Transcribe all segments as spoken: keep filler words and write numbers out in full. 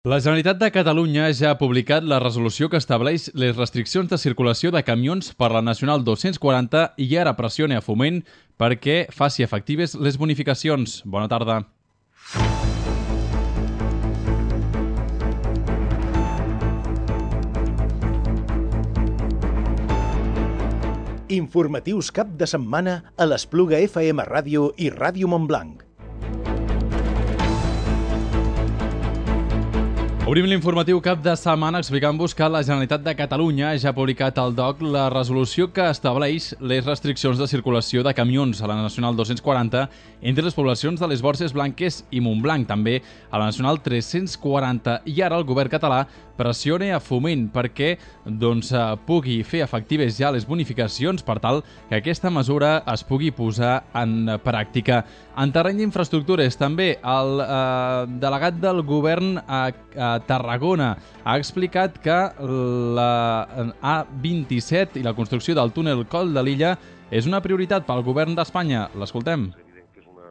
La Generalitat de Catalunya ja ha publicat la resolució que estableix les restriccions de circulació de camions per la Nacional dos-cents quaranta i ara pressiona a Foment perquè faci efectives les bonificacions. Bona tarda. Informatius cap de setmana a l'Espluga F M Ràdio i Ràdio Montblanc. Obrim l'informatiu cap de setmana explicant-vos que la Generalitat de Catalunya ja ha publicat al D O C la resolució que estableix les restriccions de circulació de camions a la Nacional dos-cents quaranta entre les poblacions de les Borges Blanques i Montblanc, també a la Nacional tres-cents quaranta. I ara el govern català pressiona a Foment perquè doncs, pugui fer efectives ja les bonificacions per tal que aquesta mesura es pugui posar en pràctica. En terreny d'infraestructures, també el eh, delegat del govern a, a Tarragona ha explicat que la A vint-i-set i la construcció del túnel Coll de Lilla és una prioritat pel govern d'Espanya. L'escoltem. És evident que és una,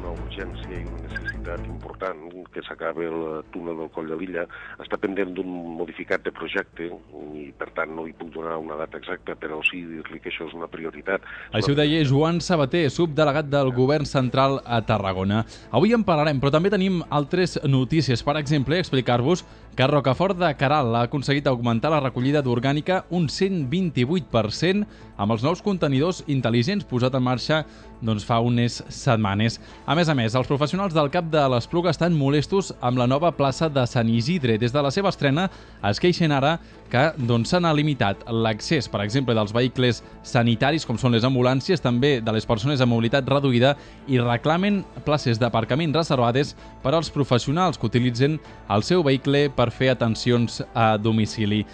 una urgència i una necessitat important que s'acabi el túnel del Coll de Lilla. Està pendent d'un modificat de projecte i, per tant, no li puc donar una data exacta, però sí dir-li que això és una prioritat. Això ho deia Joan Sabater, subdelegat del govern central a Tarragona. Avui en parlarem, però també tenim altres notícies. Per exemple, explicar-vos que Rocafort de Queralt ha aconseguit augmentar la recollida d'orgànica un cent vint-i-vuit per cent amb els nous contenidors intel·ligents posat en marxa doncs, fa unes setmanes. A més a més, els professionals del CAP de l'Espluga estan molestos amb la nova plaça de Sant Isidre. Des de la seva estrena es queixen ara que doncs, s'han limitat l'accés, per exemple, dels vehicles sanitaris, com són les ambulàncies, també de les persones amb mobilitat reduïda, i reclamen places d'aparcament reservades per als professionals que utilitzen el seu vehicle per fer atencions a domicili.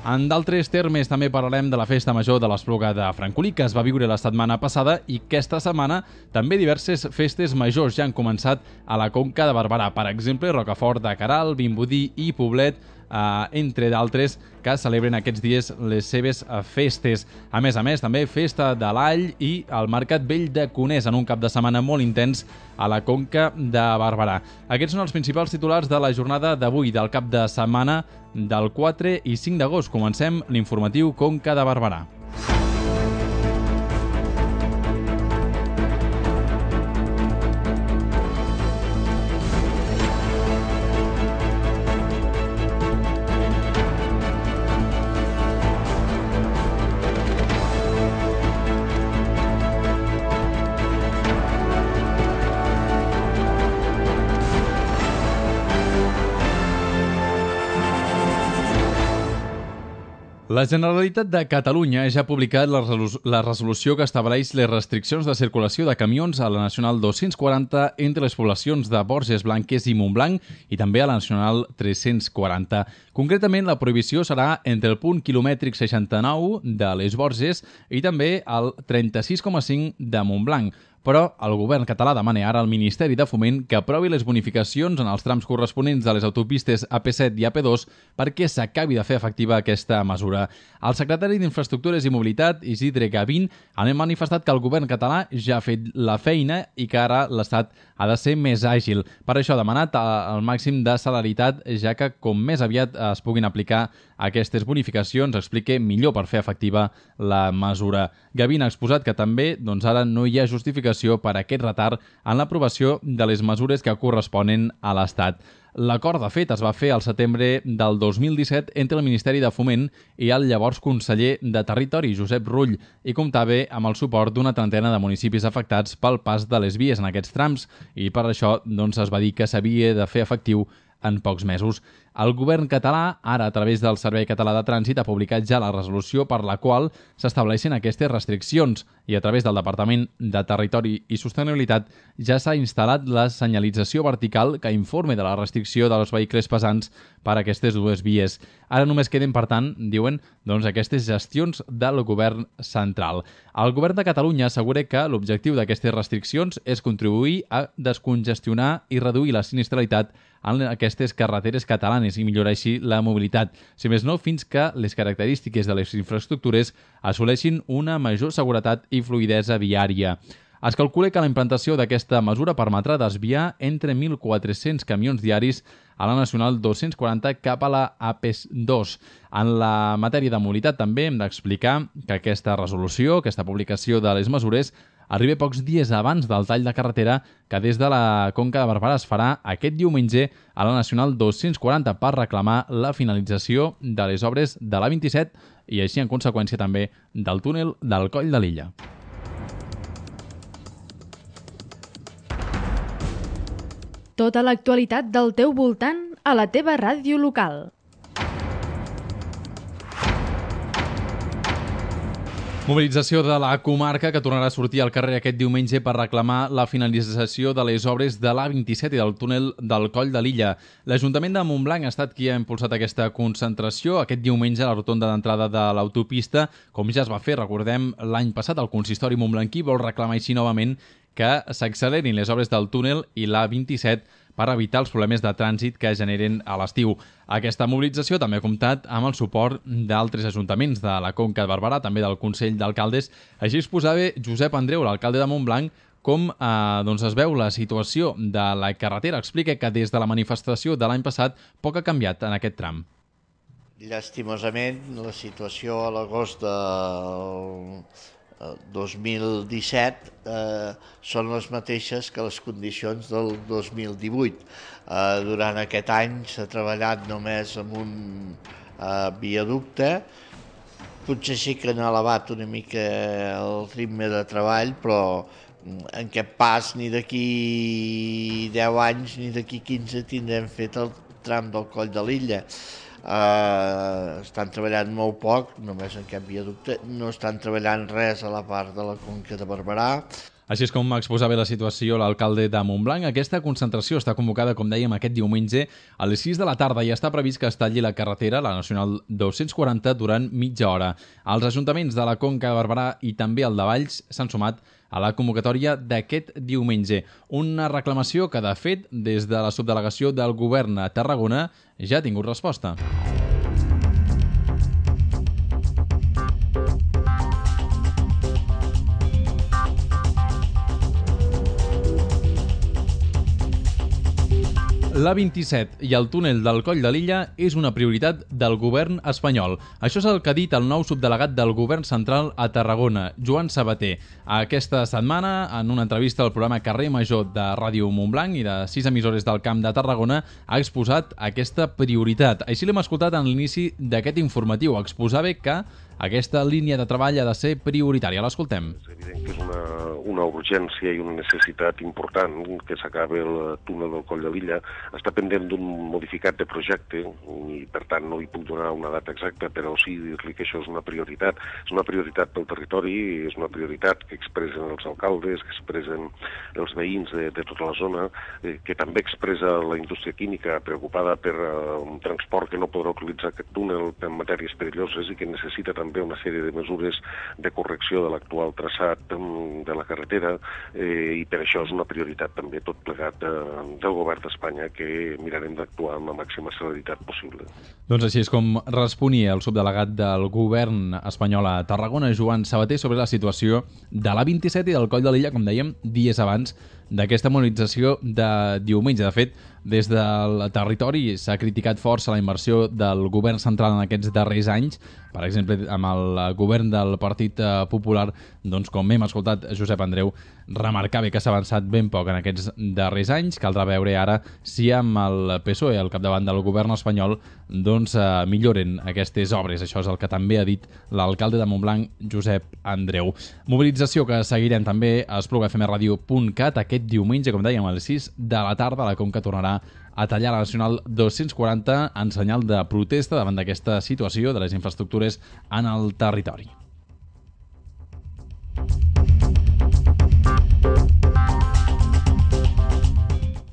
En d'altres termes també parlarem de la Festa Major de l'Espluga de Francolí, que es va viure la setmana passada, i aquesta setmana també diverses festes majors ja han començat a la Conca de Barberà. Per exemple, Rocafort de Queralt, Vimbodí i Poblet, Uh, entre d'altres, que celebren aquests dies les seves uh, festes. A més a més, també Festa de l'All i el Mercat Vell de Conés, en un cap de setmana molt intens a la Conca de Barberà. Aquests són els principals titulars de la jornada d'avui, del cap de setmana del quatre i cinc d'agost. Comencem l'informatiu Conca de Barberà. La Generalitat de Catalunya ja ha publicat la, resolu la resolució que estableix les restriccions de circulació de camions a la Nacional dos-cents quaranta entre les poblacions de Borges Blanques i Montblanc i també a la Nacional tres-cents quaranta. Concretament, la prohibició serà entre el punt quilomètric seixanta-nou de les Borges i també el trenta-sis coma cinc de Montblanc. Però el govern català demana ara al Ministeri de Foment que aprovi les bonificacions en els trams corresponents de les autopistes A P set i A P dos perquè s'acabi de fer efectiva aquesta mesura. El secretari d'Infraestructures i Mobilitat, Isidre Gavín, ha manifestat que el govern català ja ha fet la feina i que ara l'Estat ha de ser més àgil. Per això ha demanat el màxim de celeritat, ja que com més aviat es puguin aplicar aquestes bonificacions, explique millor per fer efectiva la mesura. Gavín ha exposat que també doncs, ara no hi ha justificació per aquest retard en l'aprovació de les mesures que corresponen a l'Estat. L'acord, de fet, es va fer al setembre del dos mil disset entre el Ministeri de Foment i el llavors conseller de Territori, Josep Rull, i comptava amb el suport d'una trentena de municipis afectats pel pas de les vies en aquests trams, i per això doncs, es va dir que s'havia de fer efectiu en pocs mesos. El govern català, ara a través del Servei Català de Trànsit, ha publicat ja la resolució per la qual s'estableixen aquestes restriccions i a través del Departament de Territori i Sostenibilitat ja s'ha instal·lat la senyalització vertical que informe de la restricció dels vehicles pesants per a aquestes dues vies. Ara només queden, per tant, diuen, doncs, aquestes gestions del govern central. El govern de Catalunya assegura que l'objectiu d'aquestes restriccions és contribuir a descongestionar i reduir la sinistralitat en aquestes carreteres catalanes i millorar així la mobilitat, si més no fins que les característiques de les infraestructures assoleixin una major seguretat i fluïdesa viària. Es calcula que la implantació d'aquesta mesura permetrà desviar entre mil quatre-cents camions diaris a la Nacional dos-cents quaranta cap a la A P dos. En la matèria de mobilitat també hem d'explicar que aquesta resolució, aquesta publicació de les mesures, arriba pocs dies abans del tall de carretera que des de la Conca de Barberà es farà aquest diumenge a la Nacional dos-cents quaranta per reclamar la finalització de les obres de l'A vint-i-set i així en conseqüència també del túnel del Coll de Lilla. Tota l'actualitat del teu voltant a la teva ràdio local. Mobilització de la comarca que tornarà a sortir al carrer aquest diumenge per reclamar la finalització de les obres de l'A vint-i-set i del túnel del Coll de Lilla. L'Ajuntament de Montblanc ha estat qui ha impulsat aquesta concentració aquest diumenge a la rotonda d'entrada de l'autopista, com ja es va fer, recordem, l'any passat el consistori montblanquí vol reclamar així novament que s'accelerin les obres del túnel i l'A vint-i-set per evitar els problemes de trànsit que generen a l'estiu. Aquesta mobilització també ha comptat amb el suport d'altres ajuntaments de la Conca de Barberà, també del Consell d'Alcaldes. Així es posava Josep Andreu, l'alcalde de Montblanc, com eh, doncs es veu la situació de la carretera. Explica que des de la manifestació de l'any passat poc ha canviat en aquest tram. Llàstimosament, la situació a l'agost del dos mil disset eh, són les mateixes que les condicions del dos mil divuit. Eh, durant aquest any s'ha treballat només amb un eh, viaducte. Potser sí que han elevat una mica el ritme de treball, però en aquest pas ni d'aquí deu anys ni d'aquí quinze tindrem fet el tram del Coll de Lilla. Uh, estan treballant molt poc, només en aquest viaducte, no estan treballant res a la part de la Conca de Barberà. Així és com exposava la situació l'alcalde de Montblanc. Aquesta concentració està convocada, com dèiem, aquest diumenge a les sis de la tarda i està previst que es talli la carretera, la Nacional dos-cents quaranta, durant mitja hora. Els ajuntaments de la Conca de Barberà i també el de Valls s'han sumat a la convocatòria d'aquest diumenge. Una reclamació que, de fet, des de la subdelegació del govern a Tarragona ja ha tingut resposta. L'A vint-i-set i el túnel del Coll de Lilla és una prioritat del govern espanyol. Això és el que ha dit el nou subdelegat del govern central a Tarragona, Joan Sabater. Aquesta setmana, en una entrevista al programa Carrer Major de Ràdio Montblanc i de sis emissores del Camp de Tarragona, ha exposat aquesta prioritat. Així l'hem escoltat en l'inici d'aquest informatiu. Exposava que aquesta línia de treball ha de ser prioritària. L'escoltem. És evident que és una, una urgència i una necessitat important que s'acabi el túnel del Coll de Lilla. Està pendent d'un modificat de projecte i, per tant, no hi puc donar una data exacta, però sí dir-li que això és una prioritat. És una prioritat pel territori, és una prioritat que expressen els alcaldes, que expressen els veïns de, de tota la zona, eh, que també expressa la indústria química preocupada per uh, un transport que no podrà utilitzar aquest túnel per matèries perilloses i que necessita també una sèrie de mesures de correcció de l'actual traçat de la carretera eh, i per això és una prioritat també tot plegat de, del govern d'Espanya que mirarem d'actuar amb la màxima celeritat possible. Doncs així és com responia el subdelegat del govern espanyol a Tarragona, Joan Sabater, sobre la situació de l'A vint-i-set i del Coll de Lilla, com dèiem, dies abans d'aquesta mobilització de diumenge. De fet, des del territori s'ha criticat força la inversió del govern central en aquests darrers anys. Per exemple, amb el govern del Partit Popular, doncs, com hem escoltat, Josep Andreu remarcava que s'ha avançat ben poc en aquests darrers anys. Caldrà veure ara si amb el P S O E al capdavant del govern espanyol doncs, eh, milloren aquestes obres. Això és el que també ha dit l'alcalde de Montblanc, Josep Andreu. Mobilització que seguirem també a espluga f m radio punt cat aquest diumenge, com dèiem, a les sis de la tarda. La Conca tornarà a tallar la Nacional dos-cents quaranta en senyal de protesta davant d'aquesta situació de les infraestructures en el territori.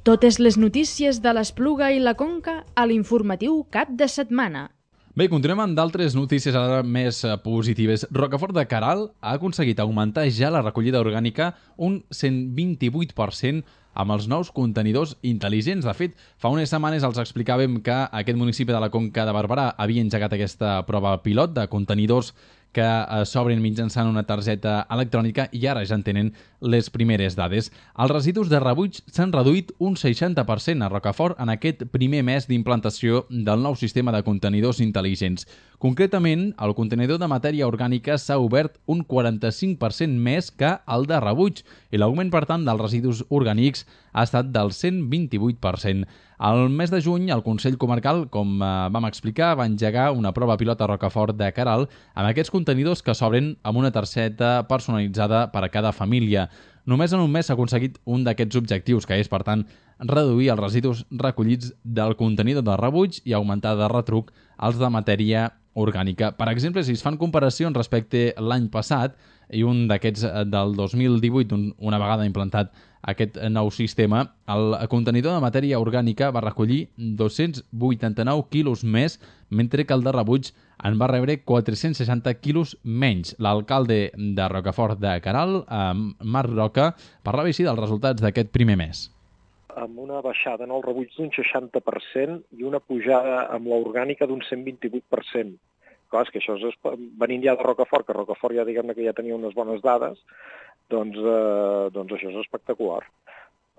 Totes les notícies de l'Espluga i la Conca a l'informatiu cap de setmana. Bé, continuem amb d'altres notícies ara més positives. Rocafort de Queralt ha aconseguit augmentar ja la recollida orgànica un cent vint-i-vuit per cent amb els nous contenidors intel·ligents. De fet, fa unes setmanes els explicàvem que aquest municipi de la Conca de Barberà havia engegat aquesta prova pilot de contenidors que s'obren mitjançant una targeta electrònica i ara ja en tenen les primeres dades. Els residus de rebuig s'han reduït un seixanta per cent a Rocafort en aquest primer mes d'implantació del nou sistema de contenidors intel·ligents. Concretament, el contenidor de matèria orgànica s'ha obert un quaranta-cinc per cent més que el de rebuig i l'augment, per tant, dels residus orgànics ha estat del cent vint-i-vuit per cent. Al mes de juny, el Consell Comarcal, com vam explicar, va engegar una prova pilot a Rocafort de Queralt amb aquests contenidors que s'obren amb una targeta personalitzada per a cada família. Només en un mes s'ha aconseguit un d'aquests objectius, que és, per tant, reduir els residus recollits del contenidor de rebuig i augmentar de retruc els de matèria orgànica. Per exemple, si es fan comparacions respecte l'any passat, i un d'aquests del dos mil divuit, una vegada implantat aquest nou sistema, el contenidor de matèria orgànica va recollir dos-cents vuitanta-nou quilos més, mentre que el de rebuig en va rebre quatre-cents seixanta quilos menys. L'alcalde de Rocafort de Queralt, Marc Roca, parlava així dels resultats d'aquest primer mes. Amb una baixada en el rebuig d'un seixanta per cent i una pujada amb l'orgànica d'un cent vint-i-vuit per cent. Clar, és que això és venint ja de Rocafort, que Rocafort ja diguem-ne que ja tenia unes bones dades, doncs, eh, doncs això és espectacular.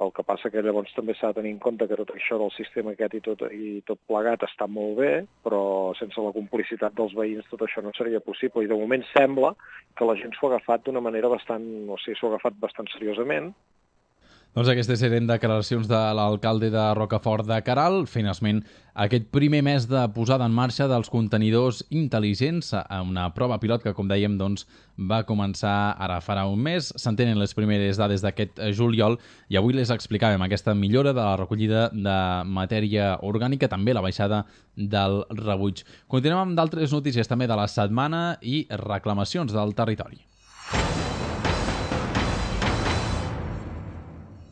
El que passa que llavors també s'ha de tenir en compte que tot això del sistema aquest i tot, i tot plegat està molt bé, però sense la complicitat dels veïns tot això no seria possible. I de moment sembla que la gent s'ho ha agafat d'una manera bastant, o sigui, s'ho ha agafat bastant seriosament. Doncs aquestes eren declaracions de l'alcalde de Rocafort de Queralt, fent esment aquest primer mes de posada en marxa dels contenidors intel·ligents, una prova pilot que, com dèiem, doncs, va començar ara farà un mes. Se'n tenen les primeres dades d'aquest juliol i avui les explicàvem, aquesta millora de la recollida de matèria orgànica, també la baixada del rebuig. Continuem amb d'altres notícies també de la setmana i reclamacions del territori.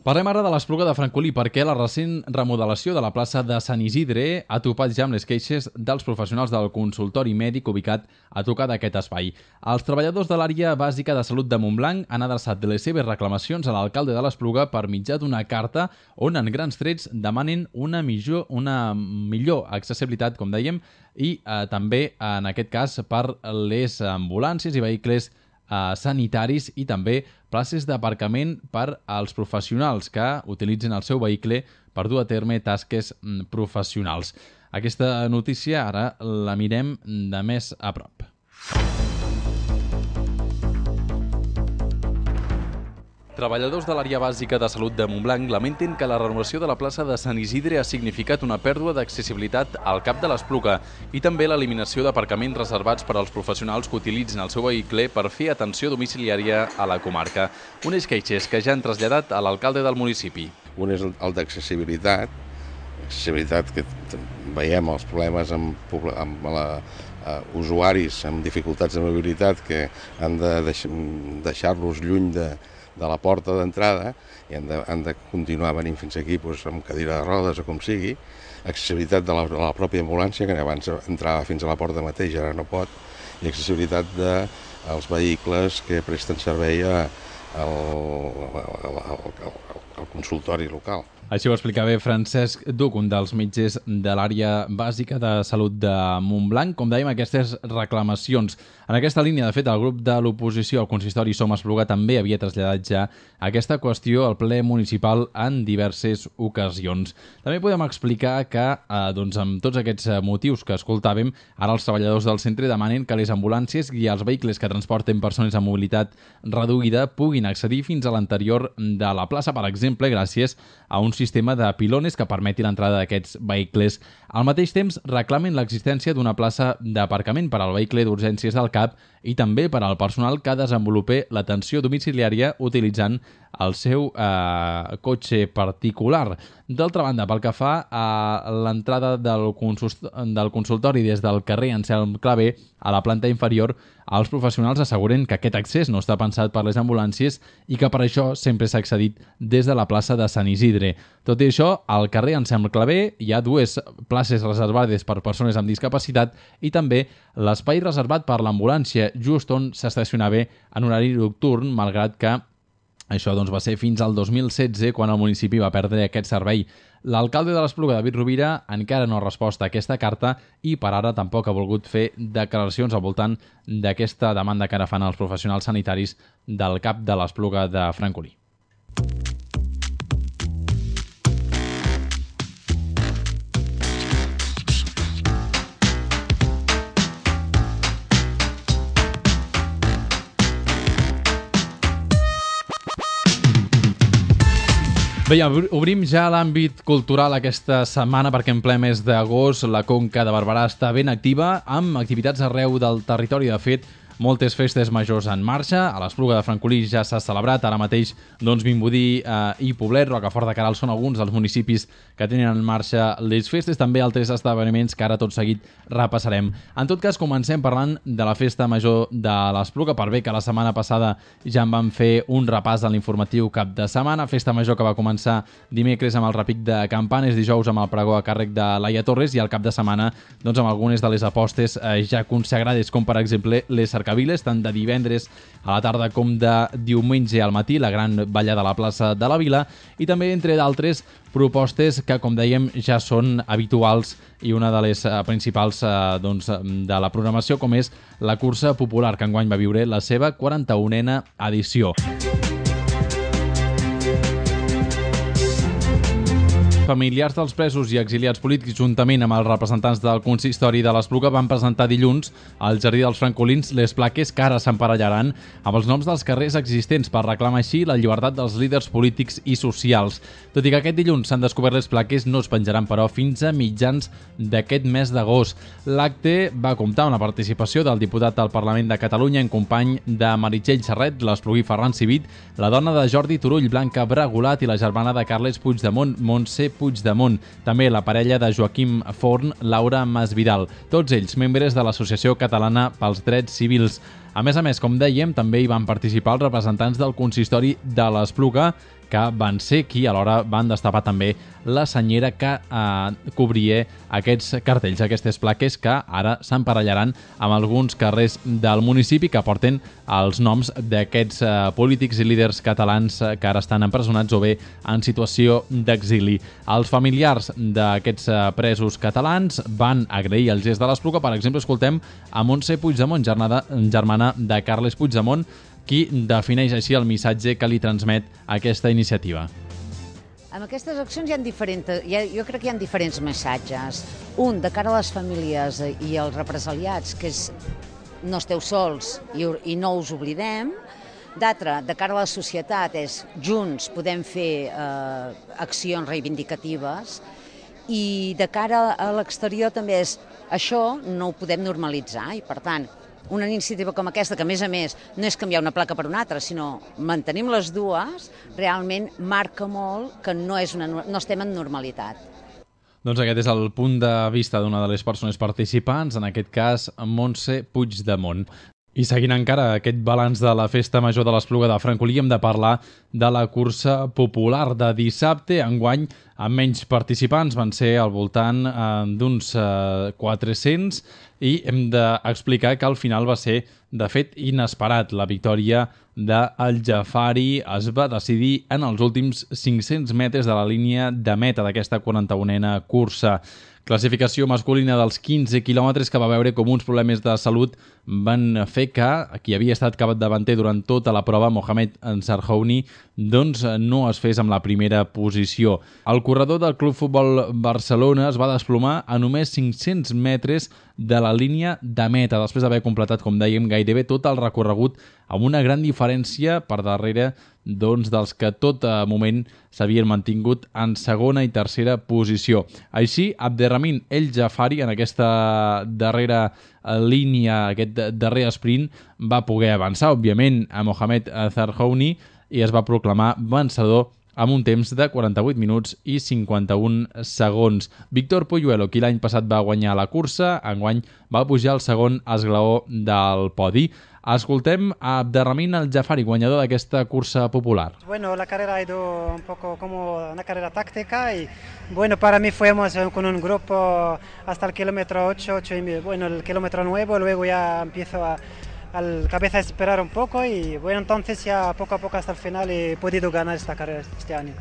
Parlem ara de l'Espluga de Francolí perquè la recent remodelació de la plaça de Sant Isidre ha topat ja amb les queixes dels professionals del consultori mèdic ubicat a tocar d'aquest espai. Els treballadors de l'àrea bàsica de salut de Montblanc han adreçat les seves reclamacions a l'alcalde de l'Espluga per mitjà d'una carta on en grans trets demanen una millor, una millor accessibilitat, com dèiem, i eh, també, en aquest cas, per les ambulàncies i vehicles sanitaris i també places d'aparcament per als professionals que utilitzen el seu vehicle per dur a terme tasques professionals. Aquesta notícia ara la mirem de més a prop. Treballadors de l'àrea bàsica de salut de Montblanc lamenten que la renovació de la plaça de Sant Isidre ha significat una pèrdua d'accessibilitat al cap de l'Espluga i també l'eliminació d'aparcaments reservats per als professionals que utilitzen el seu vehicle per fer atenció domiciliària a la comarca. Unes queixes que ja han traslladat a l'alcalde del municipi. Un és el d'accessibilitat, accessibilitat que veiem els problemes amb, amb la, uh, usuaris amb dificultats de mobilitat que han de deix deixar-los lluny de de la porta d'entrada i han de, han de continuar venint fins aquí doncs, amb cadira de rodes o com sigui, accessibilitat de la, de la pròpia ambulància, que abans entrava fins a la porta mateix, ara no pot, i accessibilitat dels vehicles que presten servei al, al, al, al consultori local. Així ho explicava Francesc Duc, un dels metges de l'àrea bàsica de salut de Montblanc. Com dèiem, aquestes reclamacions. En aquesta línia, de fet, el grup de l'oposició al consistori Som Espluga també havia traslladat ja aquesta qüestió al ple municipal en diverses ocasions. També podem explicar que, eh, doncs, amb tots aquests motius que escoltàvem, ara els treballadors del centre demanen que les ambulàncies i els vehicles que transporten persones amb mobilitat reduïda puguin accedir fins a l'anterior de la plaça, per exemple, gràcies a un sistema de pilones que permeti l'entrada d'aquests vehicles. Al mateix temps, reclamen l'existència d'una plaça d'aparcament per al vehicle d'urgències del C A P i també per al personal que desenvolupi l'atenció domiciliària utilitzant el seu eh, cotxe particular. D'altra banda, pel que fa a l'entrada del, del consultori des del carrer Anselm Clavé a la planta inferior, els professionals asseguren que aquest accés no està pensat per les ambulàncies i que per això sempre s'ha accedit des de la plaça de Sant Isidre. Tot i això, al carrer Anselm Clavé hi ha dues places reservades per persones amb discapacitat i també l'espai reservat per l'ambulància, just on s'estacionava en horari nocturn, malgrat que això doncs, va ser fins al dos mil setze quan el municipi va perdre aquest servei. L'alcalde de l'Espluga, David Rovira, encara no ha respost a aquesta carta i per ara tampoc ha volgut fer declaracions al voltant d'aquesta demanda que ara fan els professionals sanitaris del C A P de l'Espluga de Francolí. Bé, obrim ja l'àmbit cultural aquesta setmana perquè en ple mes d'agost la Conca de Barberà està ben activa amb activitats arreu del territori. De fet, moltes festes majors en marxa. A l'Espluga de Francolí ja s'ha celebrat. Ara mateix, doncs, Vimbodí eh, i Poblet, Rocafort de Queralt són alguns dels municipis que tenen en marxa les festes. També altres esdeveniments que ara tot seguit repassarem. En tot cas, comencem parlant de la festa major de l'Espluga, per bé que la setmana passada ja en vam fer un repàs en l'informatiu cap de setmana. Festa major que va començar dimecres amb el repic de campanes, dijous amb el pregó a càrrec de Laia Torres i al cap de setmana doncs, amb algunes de les apostes eh, ja consagrades, com per exemple les cercaviles, tant de divendres a la tarda com de diumenge al matí, la gran ballada a la plaça de la Vila, i també, entre d'altres, propostes que, com dèiem, ja són habituals i una de les uh, principals uh, doncs, de la programació, com és la cursa popular, que enguany va viure la seva quaranta-unena edició. Familiars dels presos i exiliats polítics, juntament amb els representants del consistori de l'Espluga, van presentar dilluns al Jardí dels Francolins les plaques que ara s'emparellaran amb els noms dels carrers existents per reclamar així la llibertat dels líders polítics i socials. Tot i que aquest dilluns s'han descobert les plaques, no es penjaran, però, fins a mitjans d'aquest mes d'agost. L'acte va comptar amb la participació del diputat al Parlament de Catalunya en company de Meritxell Serret, l'espluguí Ferran Civit, la dona de Jordi Turull, Blanca Bragulat, i la germana de Carles Puigdemont, Montse Puigdemont. També la parella de Joaquim Forn, Laura Masvidal. Tots ells membres de l'Associació Catalana pels Drets Civils. A més a més, com dèiem, també hi van participar els representants del consistori de l'Espluga, que van ser qui alhora van destapar també la senyera que eh, cobria aquests cartells, aquestes plaques que ara s'emparellaran amb alguns carrers del municipi que porten els noms d'aquests eh, polítics i líders catalans eh, que ara estan empresonats o bé en situació d'exili. Els familiars d'aquests eh, presos catalans van agrair el gest de l'Espluga. Per exemple, escoltem a Montse Puigdemont, germana, germana de Carles Puigdemont, qui defineix així el missatge que li transmet aquesta iniciativa. Amb aquestes accions hi ha diferents, hi ha, jo crec que hi ha diferents missatges. Un, de cara a les famílies i als represaliats, que és no esteu sols i, i no us oblidem. D'altre, de cara a la societat, és junts podem fer eh, accions reivindicatives. I de cara a l'exterior també és això no ho podem normalitzar i, per tant, una iniciativa com aquesta, que a més a més no és canviar una placa per una altra, sinó mantenim les dues, realment marca molt que no, és una, no estem en normalitat. Doncs aquest és el punt de vista d'una de les persones participants, en aquest cas Montse Puigdemont. I seguint encara aquest balanç de la festa major de l'Espluga de Francolí, hem de parlar de la cursa popular de dissabte. Enguany, amb menys participants, van ser al voltant eh, d'uns eh, quatre-cents, i hem d'explicar que al final va ser, de fet, inesperat. La victòria d'El Jafari es va decidir en els últims cinc-cents metres de la línia de meta d'aquesta quaranta-unena cursa. Classificació masculina dels quinze quilòmetres que va veure com uns problemes de salut van fer que qui havia estat capdavanter durant tota la prova, Mohamed Sarhouni, doncs no es fes amb la primera posició. El corredor del Club Futbol Barcelona es va desplomar a només cinc-cents metres de la línia de meta, després d'haver completat, com dèiem, gairebé tot el recorregut amb una gran diferència per darrere doncs, dels que tot moment s'havien mantingut en segona i tercera posició. Així, Abderrahmine El Jafari, en aquesta darrera línia, aquest darrer sprint, va poder avançar, òbviament, a Mohamed Sarhouni i es va proclamar vencedor amb un temps de quaranta-vuit minuts i cinquanta-un segons. Víctor Polluelo, qui l'any passat va guanyar la cursa, enguany va pujar al segon esglaó del podi. Escoltem a Abderrahmine El Jafari, guanyador d'aquesta cursa popular. Bueno, la carrera ha ido un poco como una carrera táctica y bueno, para mí fuimos con un grupo hasta el kilómetro ocho, ocho y bueno, el kilómetro nueve, luego ya empiezo a al cabeza a esperar un poco y bueno, entonces ya poco a poco hasta el final he podido ganar esta carrera este año.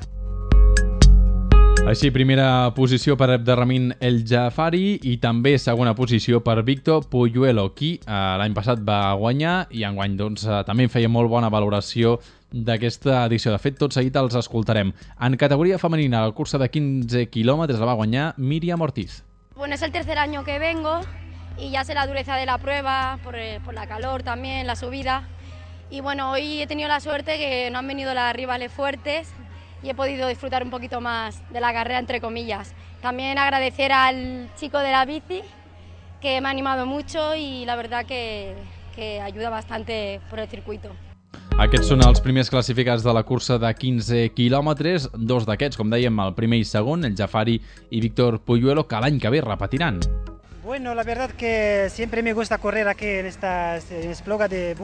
Així, primera posició per Abderrahmane El Jafari i també segona posició per Víctor Puyuelo, qui eh, l'any passat va guanyar i enguany doncs, eh, també feia molt bona valoració d'aquesta edició. De fet, tot seguit els escoltarem. En categoria femenina, la cursa de quinze quilòmetres la va guanyar Míriam Ortiz. Bueno, es el tercer año que vengo y ya sé la dureza de la prueba, por, el, por la calor también, la subida. Y bueno, hoy he tenido la suerte que no han venido las rivales fuertes y he podido disfrutar un poquito más de la carrera, entre comillas. También agradecer al chico de la bici, que me ha animado mucho y la verdad que, que ayuda bastante por el circuito. Aquests són els primers classificats de la cursa de quinze quilòmetres. Dos d'aquests, com dèiem, el primer i segon, el Jafari i Víctor Puyuelo, que l'any que ve repetiran. Bueno, la verdad que siempre me gusta correr aquí en esta en Espluga de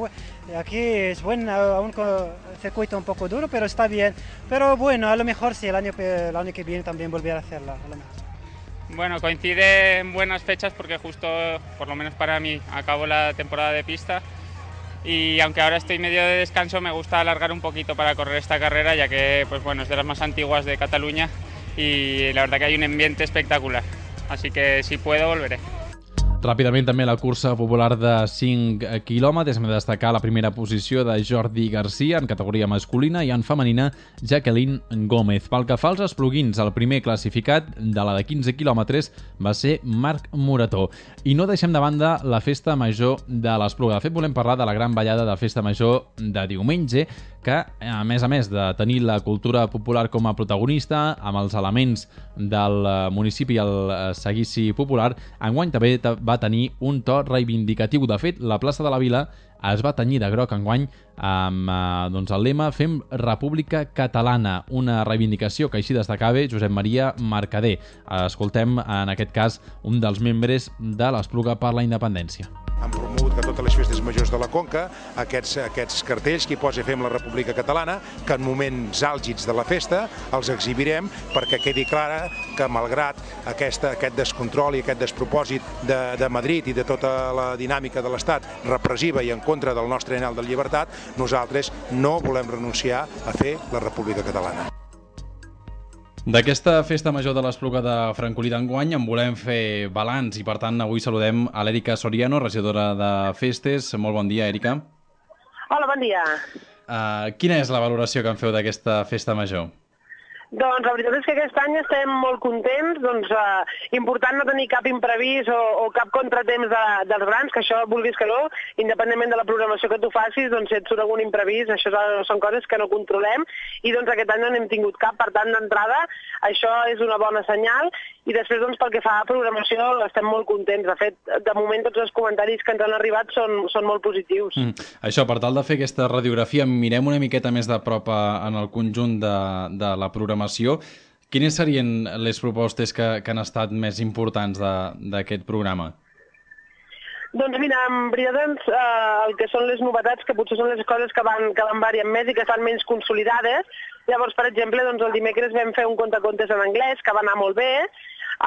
aquí es bueno, aún con el circuito un poco duro, pero está bien. Pero bueno, a lo mejor sí, el año, el año que viene también volver a hacerla. A lo mejor. Bueno, coincide en buenas fechas porque justo, por lo menos para mí, acabo la temporada de pista y aunque ahora estoy medio de descanso, me gusta alargar un poquito para correr esta carrera, ya que pues bueno, es de las más antiguas de Cataluña y la verdad que hay un ambiente espectacular. Así que si puedo, volveré. Ràpidament també la cursa popular de cinc quilòmetres. Hem de destacar la primera posició de Jordi Garcia en categoria masculina i en femenina Jacqueline Gómez. Pel que fa als espluguins, el primer classificat de la de quinze quilòmetres va ser Marc Morató. I no deixem de banda la festa major de l'Espluga. De fet, volem parlar de la gran ballada de festa major de diumenge, que, a més a més de tenir la cultura popular com a protagonista, amb els elements del municipi i el seguici popular, enguany també va tenir un to reivindicatiu. De fet, la plaça de la Vila es va tenyir de groc enguany amb eh, doncs el lema Fem República Catalana, una reivindicació que així destacava Josep Maria Mercader. Escoltem, en aquest cas, un dels membres de l'Espluga per la Independència. Han promogut que totes les festes majors de la Conca, aquests, aquests cartells que hi posa Fem la República Catalana, que en moments àlgids de la festa els exhibirem perquè quedi clara que malgrat aquesta, aquest descontrol i aquest despropòsit de, de Madrid i de tota la dinàmica de l'Estat repressiva i en contra del nostre anhel de llibertat, nosaltres no volem renunciar a fer la República Catalana. D'aquesta festa major de l'Espluga de Francolí d'enguany en volem fer balanç i, per tant, avui saludem a l'Èrica Soriano, regidora de Festes. Molt bon dia, Èrica. Hola, bon dia. Uh, quina és la valoració que en feu d'aquesta festa major? Doncs la veritat és que aquest any estem molt contents, doncs eh, important no tenir cap imprevist o, o cap contratemps de, dels grans, que això vulguis que no, independentment de la programació que tu facis, doncs si et surt algun imprevist, això són coses que no controlem i doncs aquest any no n'hem tingut cap, per tant d'entrada això és una bona senyal i després doncs pel que fa a programació estem molt contents, de fet de moment tots els comentaris que ens han arribat són, són molt positius. Mm. Això, per tal de fer aquesta radiografia, mirem una miqueta més de prop en el conjunt de, de la programació. Quines serien les propostes que, que han estat més importants d'aquest programa? Doncs mira, en veritat doncs, eh, el que són les novetats, que potser són les coses que van, que van variant més i que estan menys consolidades. Llavors, per exemple, doncs, el dimecres vam fer un contacontes en anglès, que va anar molt bé.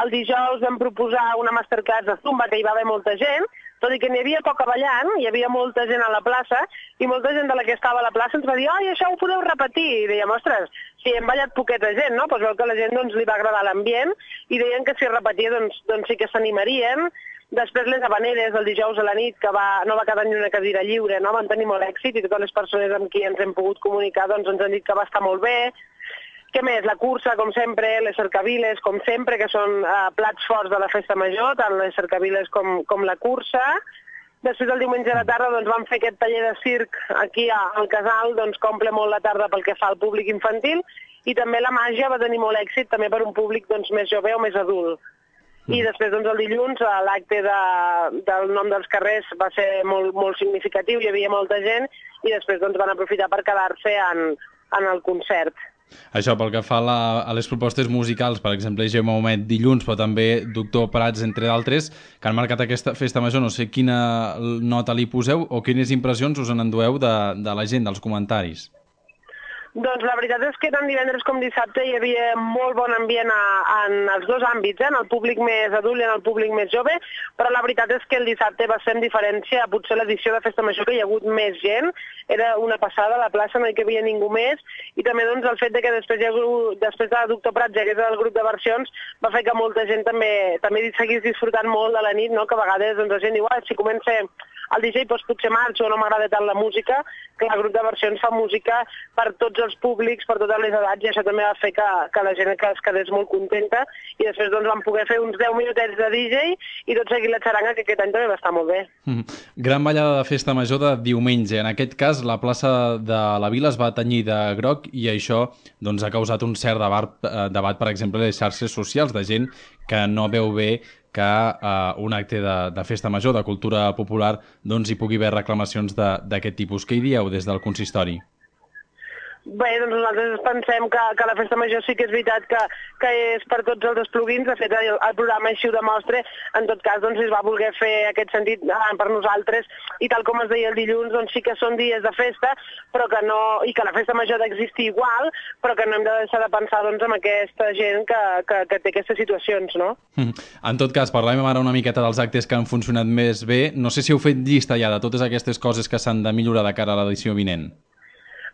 El dijous vam proposar una masterclass de Zumba, que hi va haver molta gent, tot i que n'hi havia poca ballant, hi havia molta gent a la plaça, i molta gent de la que estava a la plaça ens va dir «Ai, això ho podeu repetir!» I dèiem «Ostres, si hem ballat poqueta gent, no? Doncs veu que a la gent doncs, li va agradar l'ambient, i deien que si es repetia doncs, doncs sí que s'animarien». Després les habaneres el dijous a la nit, que va, no va quedar ni una cadira lliure, no? Van tenir molt èxit, i totes les persones amb qui ens hem pogut comunicar doncs, ens han dit que va estar molt bé. Què més? La cursa, com sempre, les cercaviles, com sempre, que són eh, plats forts de la festa major, tant les cercaviles com, com la cursa. Després, el diumenge a la tarda, doncs, vam fer aquest taller de circ aquí al Casal, doncs, que omple molt la tarda pel que fa al públic infantil, i també la màgia va tenir molt èxit, també per un públic doncs, més jove o més adult. I després, doncs, el dilluns, l'acte de, del nom dels carrers va ser molt, molt significatiu, hi havia molta gent, i després doncs, van aprofitar per quedar-se en, en el concert. Això pel que fa a, la, a les propostes musicals, per exemple, Gemma Homet dilluns, però també Doctor Prats, entre d'altres, que han marcat aquesta festa major. No sé quina nota li poseu o quines impressions us en endueu de, de la gent, dels comentaris. Doncs la veritat és que tant divendres com dissabte hi havia molt bon ambient a, en els dos àmbits, eh? En el públic més adult i en el públic més jove, però la veritat és que el dissabte va ser en diferència, potser l'edició de Festa Major que hi ha hagut més gent, era una passada a la plaça, no hi havia ningú més, i també doncs, el fet de que després, hi ha hagut, després de Doctor Prats hi hagués el grup de versions va fer que molta gent també, també seguís disfrutant molt de la nit, no? Que a vegades doncs, la gent diu, ah, si comença el D J doncs potser marxo, no m'agrada tant la música, que el grup de versions fa música per tots els públics, per totes les edats, i això també va fer que, que la gent que es quedés molt contenta, i després doncs, vam poder fer uns deu minutets de D J i tot seguit la xaranga, que aquest any també va estar molt bé. Mm. Gran ballada de Festa Major de diumenge. En aquest cas, la plaça de la Vila es va tenyir de groc i això doncs, ha causat un cert debat, eh, debat, per exemple, a les xarxes socials, de gent que no veu bé que eh, un acte de, de festa major, de cultura popular, doncs hi pugui haver reclamacions d'aquest tipus. Què hi dieu des del consistori? Bé, doncs nosaltres pensem que, que la Festa Major sí que és veritat que, que és per tots els esplugins, de fet el, el programa així ho demostra, en tot cas doncs es va voler fer aquest sentit eh, per nosaltres, i tal com es deia el dilluns, doncs sí que són dies de festa, però que no, i que la Festa Major ha d'existir igual, però que no hem de deixar de pensar doncs, en aquesta gent que, que, que té aquestes situacions, no? Mm. En tot cas, parlem ara una miqueta dels actes que han funcionat més bé. No sé si heu fet llista ja de totes aquestes coses que s'han de millorar de cara a l'edició vinent.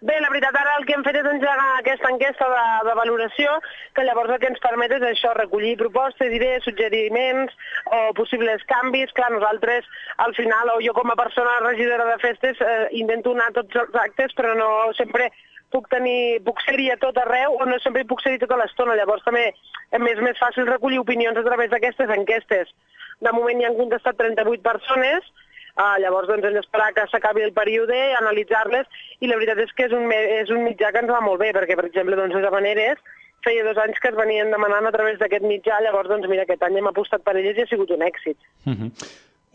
Bé, la veritat, ara el que hem fet és engegar aquesta enquesta de, de valoració, que llavors el que ens permet és això, recollir propostes, idees, suggeriments o possibles canvis. Clar, nosaltres, al final, o jo com a persona regidora de festes, eh, intento anar a tots els actes, però no sempre puc tenir, puc ser-hi a tot arreu, o no sempre hi puc ser-hi tota l'estona. Llavors també és més fàcil recollir opinions a través d'aquestes enquestes. De moment hi han contestat trenta-vuit persones, Uh, llavors doncs, hem d'esperar que s'acabi el període, analitzar-les, i la veritat és que és un, és un mitjà que ens va molt bé, perquè, per exemple, doncs, les Havaneres feia dos anys que es venien demanant a través d'aquest mitjà, llavors, doncs, mira, aquest any hem apostat per elles i ha sigut un èxit. Uh-huh.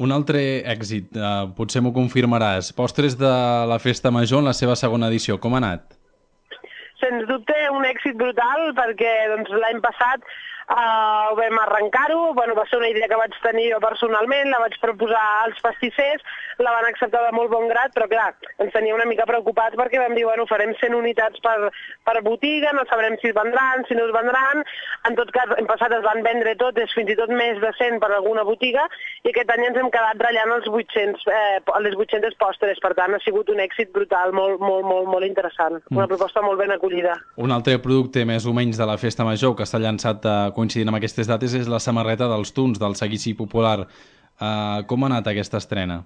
Un altre èxit, uh, potser m'ho confirmaràs, Postres de la Festa Major en la seva segona edició, com ha anat? Sens dubte, un èxit brutal, perquè doncs, l'any passat Uh, vam arrencar-ho, bueno, va ser una idea que vaig tenir jo personalment, la vaig proposar als pastissers, la van acceptar de molt bon grat, però clar, ens tenia una mica preocupats perquè vam dir, bueno, farem cent unitats per, per botiga, no sabrem si es vendran, si no es vendran, en tot cas, en passat es van vendre totes, fins i tot més de cent per alguna botiga, i aquest any ens hem quedat ratllant els vuit-cents, eh, les vuit-centes postres, per tant, ha sigut un èxit brutal, molt, molt, molt, molt interessant, una proposta molt ben acollida. Un altre producte més o menys de la Festa Major que s'ha llançat a coincidint amb aquestes dates és la samarreta dels Tuns, del seguici popular. Uh, com ha anat aquesta estrena?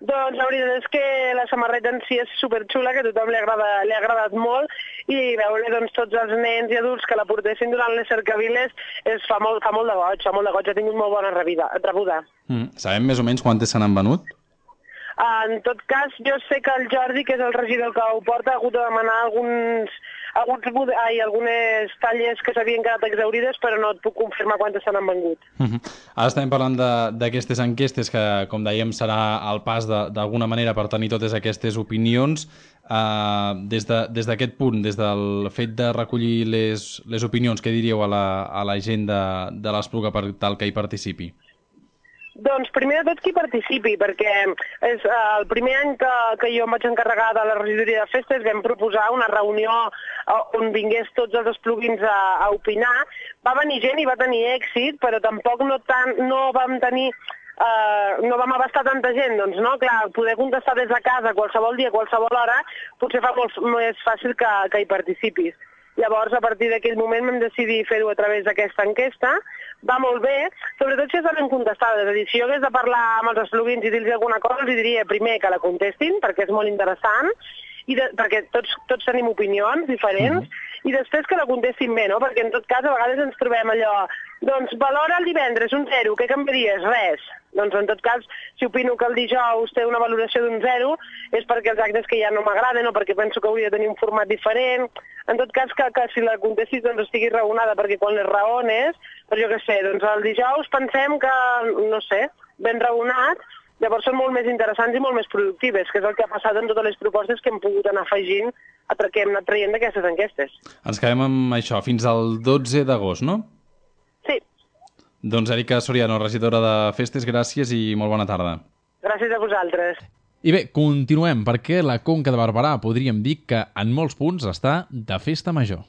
Doncs la veritat és que la samarreta en si és superxula, que a tothom li, agrada, li ha agradat molt, i veure doncs, tots els nens i adults que la portessin durant les cercaviles es fa molt, fa molt de goig, fa molt de goig, ha tingut molt bona rebuda. Mm. Sabem més o menys quantes se n'han venut? En tot cas, jo sé que el Jordi, que és el regidor que ho porta, ha hagut de demanar alguns, alguns, ai, algunes talles que s'havien quedat exaurides, però no et puc confirmar quantes se n'han vengut. Uh-huh. Ara estem parlant d'aquestes enquestes que, com dèiem, serà el pas d'alguna manera per tenir totes aquestes opinions. Uh, des d'aquest de, punt, des del fet de recollir les, les opinions, què diríeu a la, a la gent de, de l'Espluga per tal que hi participi? Doncs primer de tot qui participi, perquè és eh, el primer any que, que jo em vaig encarregar de la regidoria de festes vam proposar una reunió on vingués tots els esplugins a, a opinar. Va venir gent i va tenir èxit, però tampoc no, tan, no vam tenir... Uh, no vam abastar tanta gent, doncs no, clar, poder contestar des de casa qualsevol dia, qualsevol hora, potser fa molt més fàcil que, que hi participis. Llavors, a partir d'aquell moment vam decidir fer-ho a través d'aquesta enquesta. Va molt bé, sobretot si estan contestades. És a dir, si jo hagués de parlar amb els esplugins i dir-los alguna cosa, els diria primer que la contestin, perquè és molt interessant, i de, perquè tots, tots tenim opinions diferents, mm-hmm. i després que la contestin bé, no? Perquè en tot cas a vegades ens trobem allò, doncs valora el divendres un zero, què canviaries? Res. Doncs en tot cas, si opino que el dijous té una valoració d'un zero, és perquè els actes que ja no m'agraden o perquè penso que hauria de tenir un format diferent. En tot cas, que, que si la contestis doncs estigui raonada, perquè quan les raones, però jo què sé, doncs el dijous pensem que, no sé, ben raonat, llavors són molt més interessants i molt més productives, que és el que ha passat en totes les propostes que hem pogut anar afegint, que hem anat traient d'aquestes enquestes. Ens quedem amb això, fins al dotze d'agost, no? Sí. Doncs Èrica Soriano, regidora de Festes, gràcies i molt bona tarda. Gràcies a vosaltres. I bé, continuem, perquè la Conca de Barberà podríem dir que en molts punts està de festa major.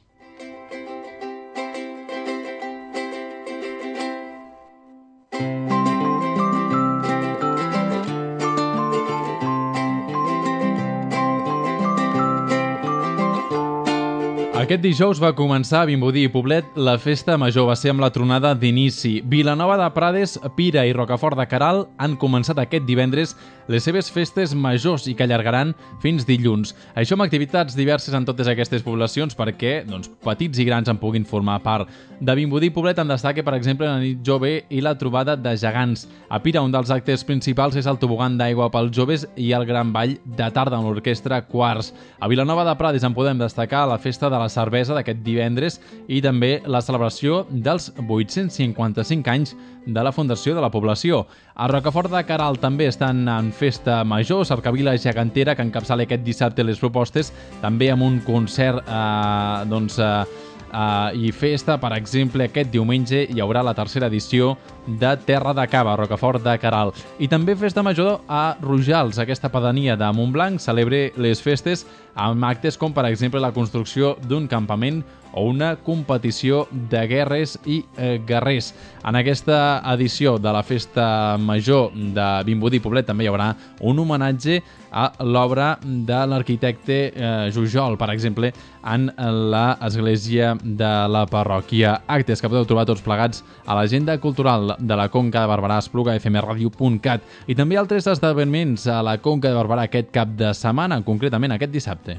Aquest dijous va començar a Vimbodí i Poblet la festa major, va ser amb la tronada d'inici. Vilanova de Prades, Pira i Rocafort de Queralt han començat aquest divendres les seves festes majors i que allargaran fins dilluns. Això amb activitats diverses en totes aquestes poblacions perquè doncs, petits i grans en puguin formar part. De Vimbodí i Poblet en destaca, per exemple, la nit jove i la trobada de gegants. A Pira, un dels actes principals és el tobogan d'aigua pels joves i el gran ball de tarda amb l'orquestra Quarts. A Vilanova de Prades en podem destacar la festa de la cervesa d'aquest divendres i també la celebració dels vuit-cents cinquanta-cinc anys de la fundació de la població. A Rocafort de Queralt també estan en festa major, Cercavila Gegantera, que encapçala aquest dissabte les propostes, també amb un concert eh, doncs, eh, Uh, i festa, per exemple, aquest diumenge hi haurà la tercera edició de Terra de Cava, Rocafort de Queralt. I també festa major a Rojals, aquesta pedania de Montblanc celebra les festes amb actes com, per exemple, la construcció d'un campament o una competició de guerres i eh, guerrers. En aquesta edició de la festa major de Vimbodí i Poblet també hi haurà un homenatge a l'obra de l'arquitecte eh, Jujol, per exemple, en l'església de la parròquia. Actes que podeu trobar tots plegats a l'agenda cultural de la Conca de Barberà, espluga f m radio punt cat, i també altres esdeveniments a la Conca de Barberà aquest cap de setmana, concretament aquest dissabte.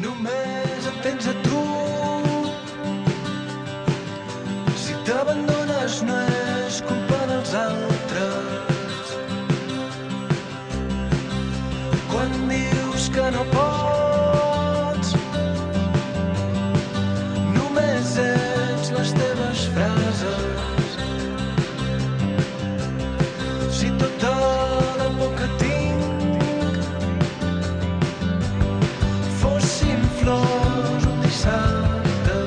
Només em tens a tu, si t'abandones no és culpa dels altres. Quan dius que no pots, només ets les teves frases. Si tota la por que tinc fossin flors un dissabte.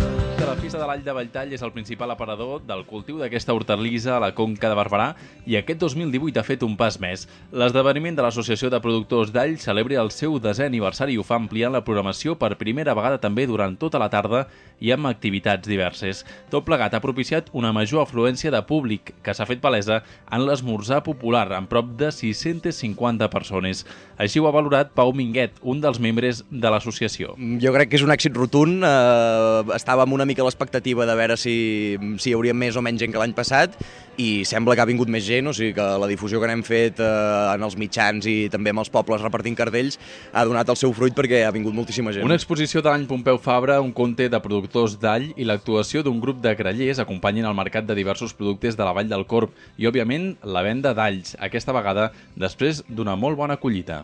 La Festa de l'All de Valltall és el principal aparador del cultiu d'aquesta hortalissa a la Conca de Barberà i aquest dos mil divuit ha fet un pas més. L'esdeveniment de l'Associació de Productors d'All celebra el seu desè aniversari i ho fa ampliant la programació per primera vegada també durant tota la tarda i amb activitats diverses. Tot plegat ha propiciat una major afluència de públic que s'ha fet palesa en l'esmorzar popular amb prop de sis-centes cinquanta persones. Així ho ha valorat Pau Minguet, un dels membres de l'associació. Jo crec que és un èxit rotund. Eh, estàvem una mica a l'expectativa de veure si, si hi hauria més o menys gent que l'any passat i sembla que ha vingut més gent, o sigui que la difusió que n'hem fet eh, en els mitjans i també amb els pobles repartint cartells ha donat el seu fruit perquè ha vingut moltíssima gent. Una exposició de l'any Pompeu Fabra, un conte de productors d'all i l'actuació d'un grup de grallers acompanyen el mercat de diversos productes de la Vall del Corb i, òbviament, la venda d'alls, aquesta vegada després d'una molt bona collita.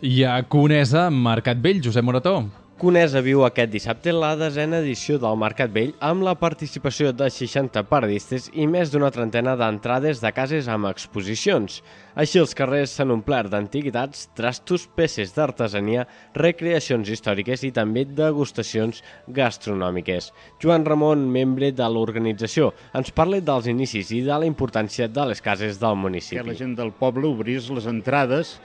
I a Conesa, Mercat Vell, Josep Morató. Conesa viu aquest dissabte la desena edició del Mercat Vell amb la participació de seixanta paradistes i més d'una trentena d'entrades de cases amb exposicions. Així els carrers s'han omplert d'antiguitats, trastos, peces d'artesania, recreacions històriques i també degustacions gastronòmiques. Joan Ramon, membre de l'organització, ens parla dels inicis i de la importància de les cases del municipi. Que la gent del poble obrís les entrades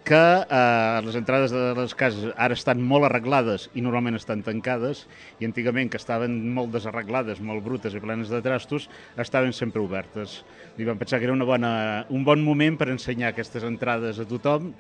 que eh, les entrades de les cases ara estan molt arreglades i normalment estan tancades i antigament, que estaven molt desarreglades, molt brutes i plenes de trastos, estaven sempre obertes. I vam pensar que era una bona, un bon moment per ensenyar aquestes entrades a tothom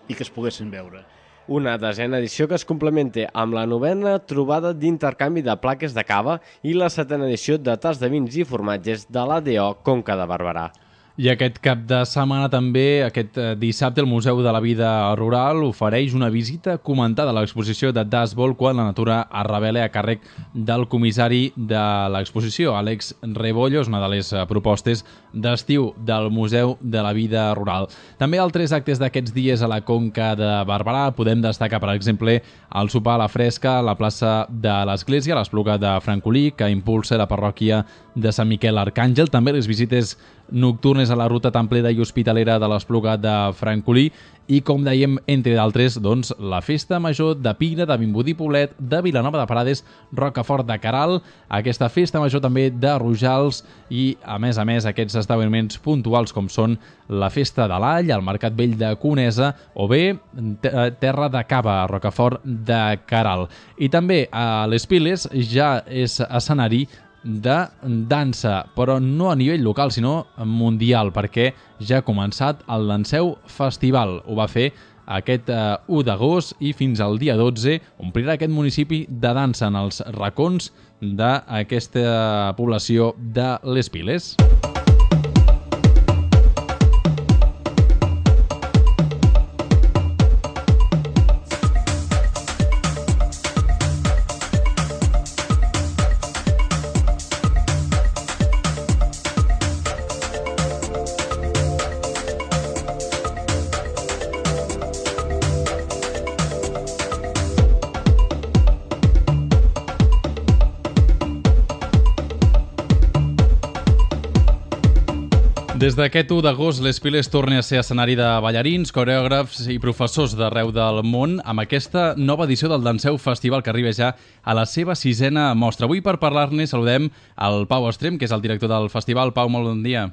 i que es poguessin veure. Una desena edició que es complementa amb la novena trobada d'intercanvi de plaques de cava i la setena edició de tas de vins i formatges de l'A D O Conca de Barberà. I aquest cap de setmana també, aquest dissabte, el Museu de la Vida Rural ofereix una visita comentada a l'exposició de Dasbol quan la natura es revela a càrrec del comissari de l'exposició, Àlex Rebollo, és una de les propostes d'estiu del Museu de la Vida Rural. També altres actes d'aquests dies a la Conca de Barberà podem destacar, per exemple, el sopar a la fresca a la plaça de l'Església, l'Espluga de Francolí, que impulsa la parròquia de Sant Miquel Arcàngel, també les visites nocturnes a la ruta templera i hospitalera de l'Espluga de Francolí i, com dèiem, entre d'altres, doncs, la Festa Major de Pira, de Vimbodí Poblet, de Vilanova de Prades, Rocafort de Queralt, aquesta Festa Major també de Rojals i, a més a més, aquests esdeveniments puntuals com són la Festa de l'All, el Mercat Vell de Conesa o bé Terra de Cava, a Rocafort de Queralt. I també a les Piles ja és escenari de dansa, però no a nivell local, sinó mundial, perquè ja ha començat el Danseu Festival. Ho va fer aquest eh, u d'agost i fins al dia dotze omplirà aquest municipi de dansa en els racons d'aquesta població de les Piles. Des d'aquest u d'agost, les Piles torna a ser escenari de ballarins, coreògrafs i professors d'arreu del món amb aquesta nova edició del Danseu Festival que arriba ja a la seva sisena mostra. Avui, per parlar-ne, saludem el Pau Estrem, que és el director del festival. Pau, molt bon dia.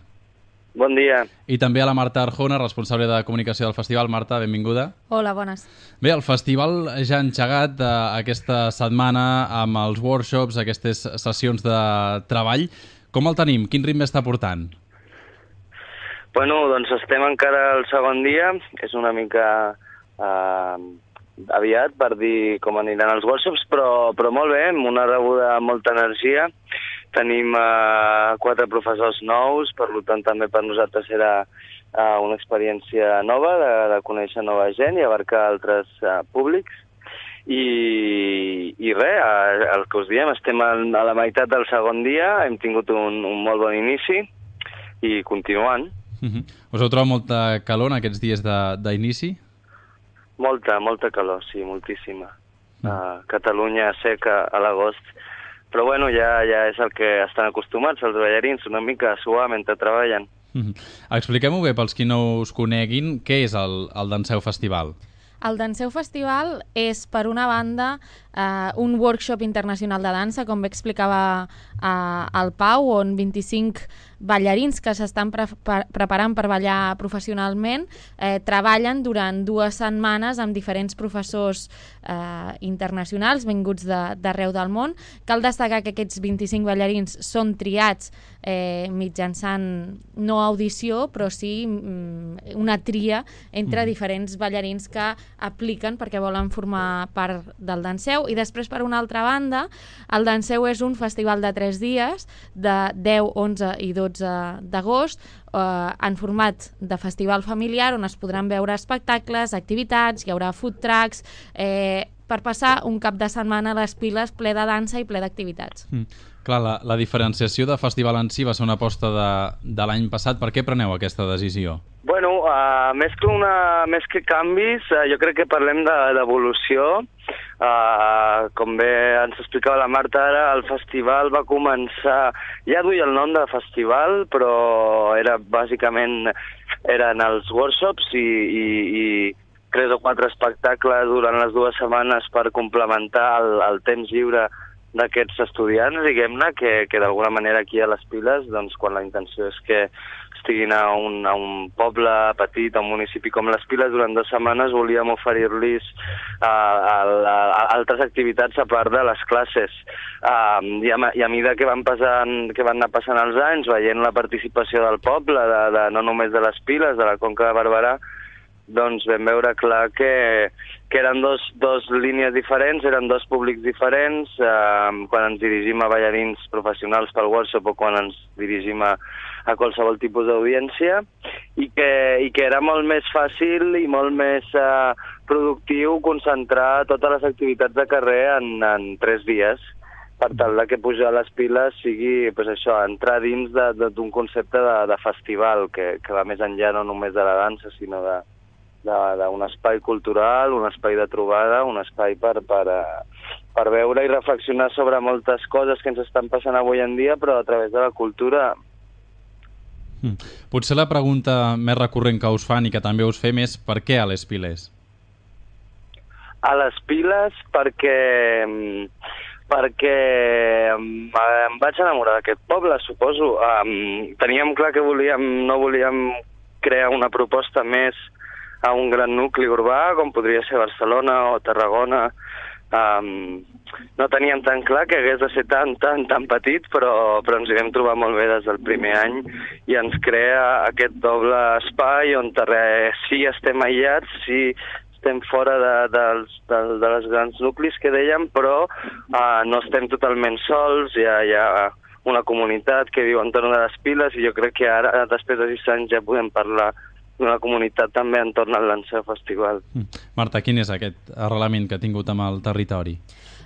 Bon dia. I també a la Marta Arjona, responsable de comunicació del festival. Marta, benvinguda. Hola, bones. Bé, el festival ja ha engegat eh, aquesta setmana amb els workshops, aquestes sessions de treball. Com el tenim? Quin ritme està portant? Bueno, doncs estem encara al segon dia, és una mica eh, aviat per dir com aniran els workshops, però, però molt bé, amb una rebuda amb molta energia. Tenim eh, quatre professors nous, per tant també per nosaltres era eh, una experiència nova de, de conèixer nova gent i abarcar altres eh, públics. I, i res, eh, el que us diem, estem a, a la meitat del segon dia, hem tingut un, un molt bon inici i continuant. Uh-huh. Us heu trobat molta calor en aquests dies d'inici? Molta, molta calor, sí, moltíssima. Uh, uh, Catalunya seca a l'agost, però bueno, ja, ja és el que estan acostumats els ballarins, una mica a suar mentre treballen. Uh-huh. Expliquem-ho bé pels qui no us coneguin, què és el, el Danseu Festival? El Danseu Festival és, per una banda, eh, un workshop internacional de dansa, com bé explicava eh, el Pau, on vint-i-cinc ballarins que s'estan pre pre preparant per ballar professionalment eh, treballen durant dues setmanes amb diferents professors eh, internacionals vinguts d'arreu de, del món. Cal destacar que aquests vint-i-cinc ballarins són triats eh, mitjançant no audició, però sí mm, una tria entre diferents ballarins que apliquen perquè volen formar part del Danseu. I després, per una altra banda, el Danseu és un festival de tres dies, de deu, onze i dotze d'agost, eh, en format de festival familiar, on es podran veure espectacles, activitats, hi haurà food trucks, eh, per passar un cap de setmana a les Piles ple de dansa i ple d'activitats. Mm. Clar, la, la diferenciació de festival en si va ser una aposta de, de l'any passat. Per què preneu aquesta decisió? Bueno, uh, més, que una, més que canvis, uh, jo crec que parlem d'evolució. De, uh, com bé ens explicava la Marta ara, el festival va començar, ja duia el nom de festival, però era bàsicament eren els workshops i, i, i tres o quatre espectacles durant les dues setmanes per complementar el, el temps lliure d'aquests estudiants, diguem-ne, que, que d'alguna manera aquí a les Piles, doncs, quan la intenció és que estiguin a un, a un poble petit, a un municipi com les Piles, durant dues setmanes volíem oferir-los uh, altres activitats a part de les classes. Uh, i, a, I a mesura que van, passant, que van anar passant els anys, veient la participació del poble, de, de, no només de les Piles, de la Conca de Barberà, doncs vam veure clar que, que eren dos, dos línies diferents, eren dos públics diferents, eh, quan ens dirigim a ballarins professionals pel workshop o quan ens dirigim a, a qualsevol tipus d'audiència, i que, i que era molt més fàcil i molt més eh, productiu concentrar totes les activitats de carrer en, en tres dies, per tal de que pujar a les Piles sigui pues això, entrar dins d'un concepte de, de festival que, que va més enllà no només de la dansa, sinó de d'un espai cultural, un espai de trobada, un espai per, per, per veure i reflexionar sobre moltes coses que ens estan passant avui en dia, però a través de la cultura. Mm. Potser la pregunta més recurrent que us fan i que també us fem és per què a les Piles? A les Piles perquè... perquè em vaig enamorar d'aquest poble, suposo. Um, teníem clar que volíem, no volíem crear una proposta més a un gran nucli urbà, com podria ser Barcelona o Tarragona. Um, no teníem tan clar que hagués de ser tan, tan, tan petit, però, però ens hi vam trobar molt bé des del primer any i ens crea aquest doble espai on res, sí estem aïllats, sí estem fora de, de, de, de les grans nuclis que dèiem, però uh, no estem totalment sols, hi ha, hi ha una comunitat que viu entorn de les Piles i jo crec que ara, després de sis anys, ja podem parlar d'una comunitat també entorn al Danseu Festival. Marta, quin és aquest arrelament que ha tingut amb el territori?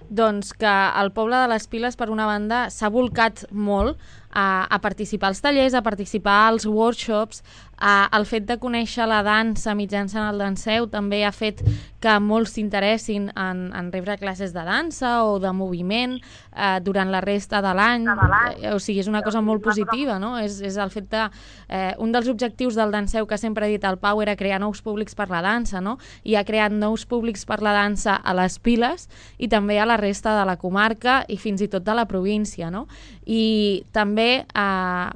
Doncs que el poble de les Piles, per una banda, s'ha volcat molt a, a participar als tallers, a participar als workshops, a, el fet de conèixer la dansa mitjançant el Danseu també ha fet que molts s'interessin en, en rebre classes de dansa o de moviment eh, durant la resta de l'any. Eh, o sigui, és una cosa molt positiva, no? És, és el fet de... Eh, un dels objectius del Danseu que sempre ha dit el Pau era crear nous públics per la dansa, no? I ha creat nous públics per la dansa a les Piles i també a la resta de la comarca i fins i tot de la província, no? I també eh,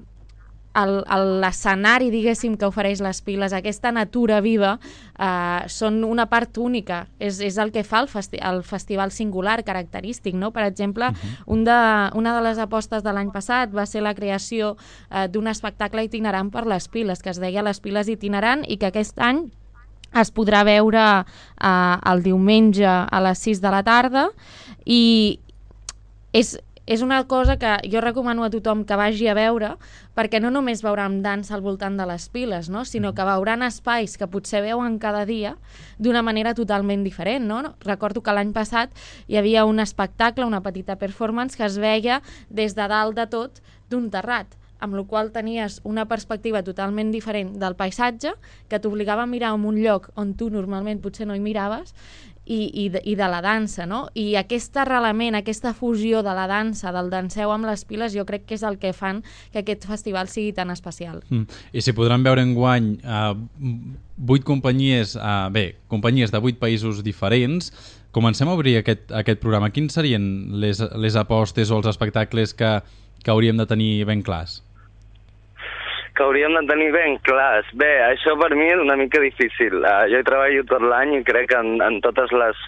l'escenari, diguéssim, que ofereix les Piles, aquesta natura viva, eh, són una part única. És, és el que fa el, festi el festival singular, característic, no? Per exemple, uh-huh. un de, una de les apostes de l'any passat va ser la creació eh, d'un espectacle itinerant per les Piles, que es deia Les Piles Itinerant, i que aquest any es podrà veure eh, el diumenge a les sis de la tarda, i és... És una cosa que jo recomano a tothom que vagi a veure, perquè no només veuran dansa al voltant de les Piles, no? Sinó que veuran espais que potser veuen cada dia d'una manera totalment diferent, no? Recordo que l'any passat hi havia un espectacle, una petita performance, que es veia des de dalt de tot d'un terrat, amb la qual tenies una perspectiva totalment diferent del paisatge, que t'obligava a mirar en un lloc on tu normalment potser no hi miraves, I, i, de, i de la dansa, no? I aquest arrelament, aquesta fusió de la dansa, del Danseu amb les Piles, jo crec que és el que fan que aquest festival sigui tan especial. Mm. I si podran veure enguany uh, vuit companyies, uh, bé, companyies de vuit països diferents, comencem a obrir aquest, aquest programa. Quins serien les, les apostes o els espectacles que, que hauríem de tenir ben clars? Que hauríem de tenir ben clars. Bé, això per mi és una mica difícil. Uh, jo hi treballo tot l'any i crec en, en totes les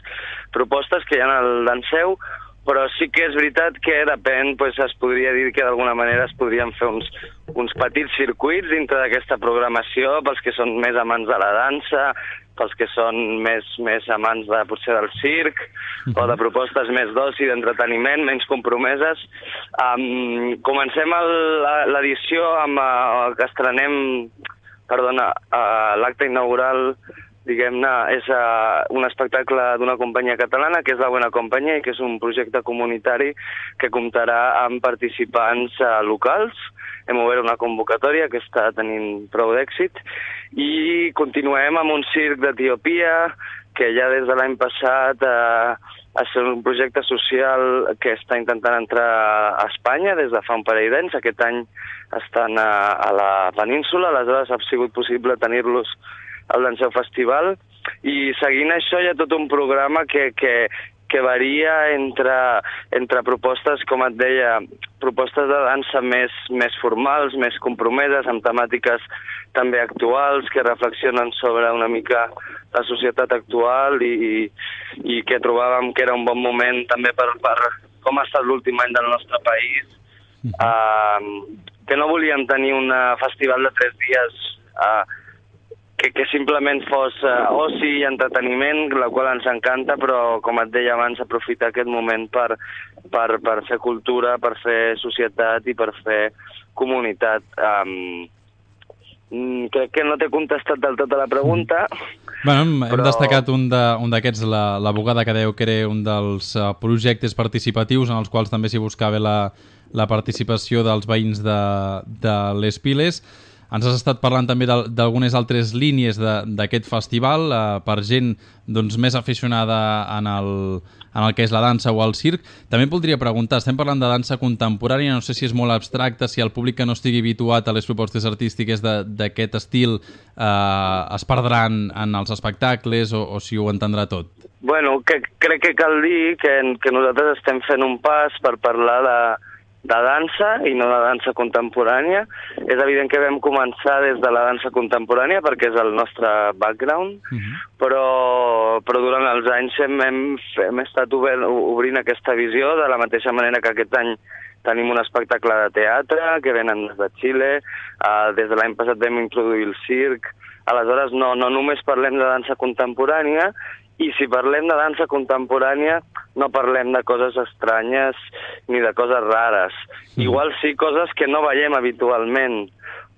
propostes que hi ha al Danseu, però sí que és veritat que depèn, pues, es podria dir que d'alguna manera es podrien fer uns, uns petits circuits dintre d'aquesta programació pels que són més amants de la dansa, pels que són més, més amants de, potser del circ, uh-huh. o de propostes més d'oci, d'entreteniment, menys compromeses. Um, comencem l'edició amb uh, que estrenem, perdona, uh, l'acte inaugural, diguem-ne, és uh, un espectacle d'una companyia catalana, que és la Buena Companyia, i que és un projecte comunitari que comptarà amb participants uh, locals. Hem obert una convocatòria que està tenint prou d'èxit i continuem amb un circ d'Etiòpia que ja des de l'any passat eh, és un projecte social que està intentant entrar a Espanya des de fa un parell d'anys. Aquest any estan a, a la península, aleshores ha sigut possible tenir-los al Danseu Festival, i seguint això hi ha tot un programa que, que, que varia entre, entre propostes, com et deia, propostes de dansa més, més formals, més compromeses, amb temàtiques també actuals, que reflexionen sobre una mica la societat actual i, i, i que trobàvem que era un bon moment també per, per com ha estat l'últim any del nostre país, uh-huh. uh, que no volíem tenir un festival de tres dies uh, que, que simplement fos uh, oci i entreteniment, la qual ens encanta, però, com et deia abans, aprofitar aquest moment per, per, per fer cultura, per fer societat i per fer comunitat. Um, crec que no t'he contestat del tot a la pregunta. Bueno, hem però... destacat un d'aquests, la, la Bugada, que dèieu que era un dels uh, projectes participatius en els quals també s'hi buscava la, la participació dels veïns de, de les Piles. Ens has estat parlant també d'algunes altres línies d'aquest festival uh, per gent doncs, més aficionada en el, en el que és la dansa o el circ. També et voldria preguntar, estem parlant de dansa contemporània, no sé si és molt abstracta, si el públic que no estigui habituat a les propostes artístiques d'aquest estil uh, es perdran en els espectacles o, o si ho entendrà tot. Bueno, que, crec que cal dir que, que nosaltres estem fent un pas per parlar de, de dansa i no de dansa contemporània. És evident que vam començar des de la dansa contemporània perquè és el nostre background, uh-huh. però, però durant els anys hem, hem, hem estat obert, obrint aquesta visió de la mateixa manera que aquest any tenim un espectacle de teatre que venen des de Xile, uh, des de l'any passat vam introduir el circ. Aleshores no, no només parlem de dansa contemporània, i si parlem de dansa contemporània no parlem de coses estranyes ni de coses rares. Igual sí coses que no veiem habitualment,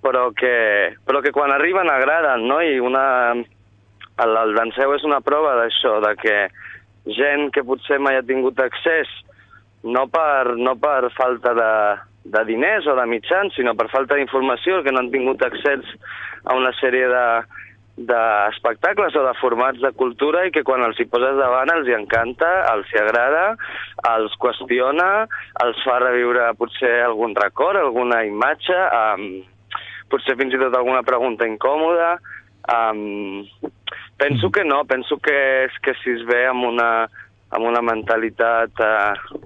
però que, però que quan arriben agraden, no? I una, el, el danseu és una prova d'això, de que gent que potser mai ha tingut accés, no per, no per falta de, de diners o de mitjans, sinó per falta d'informació, que no han tingut accés a una sèrie de d'espectacles o de formats de cultura i que quan els hi poses davant els hi encanta, els hi agrada, els qüestiona, els fa reviure potser algun record, alguna imatge, um, potser fins i tot alguna pregunta incòmoda. Um, penso que no, penso que és que si es ve amb una, amb una mentalitat uh,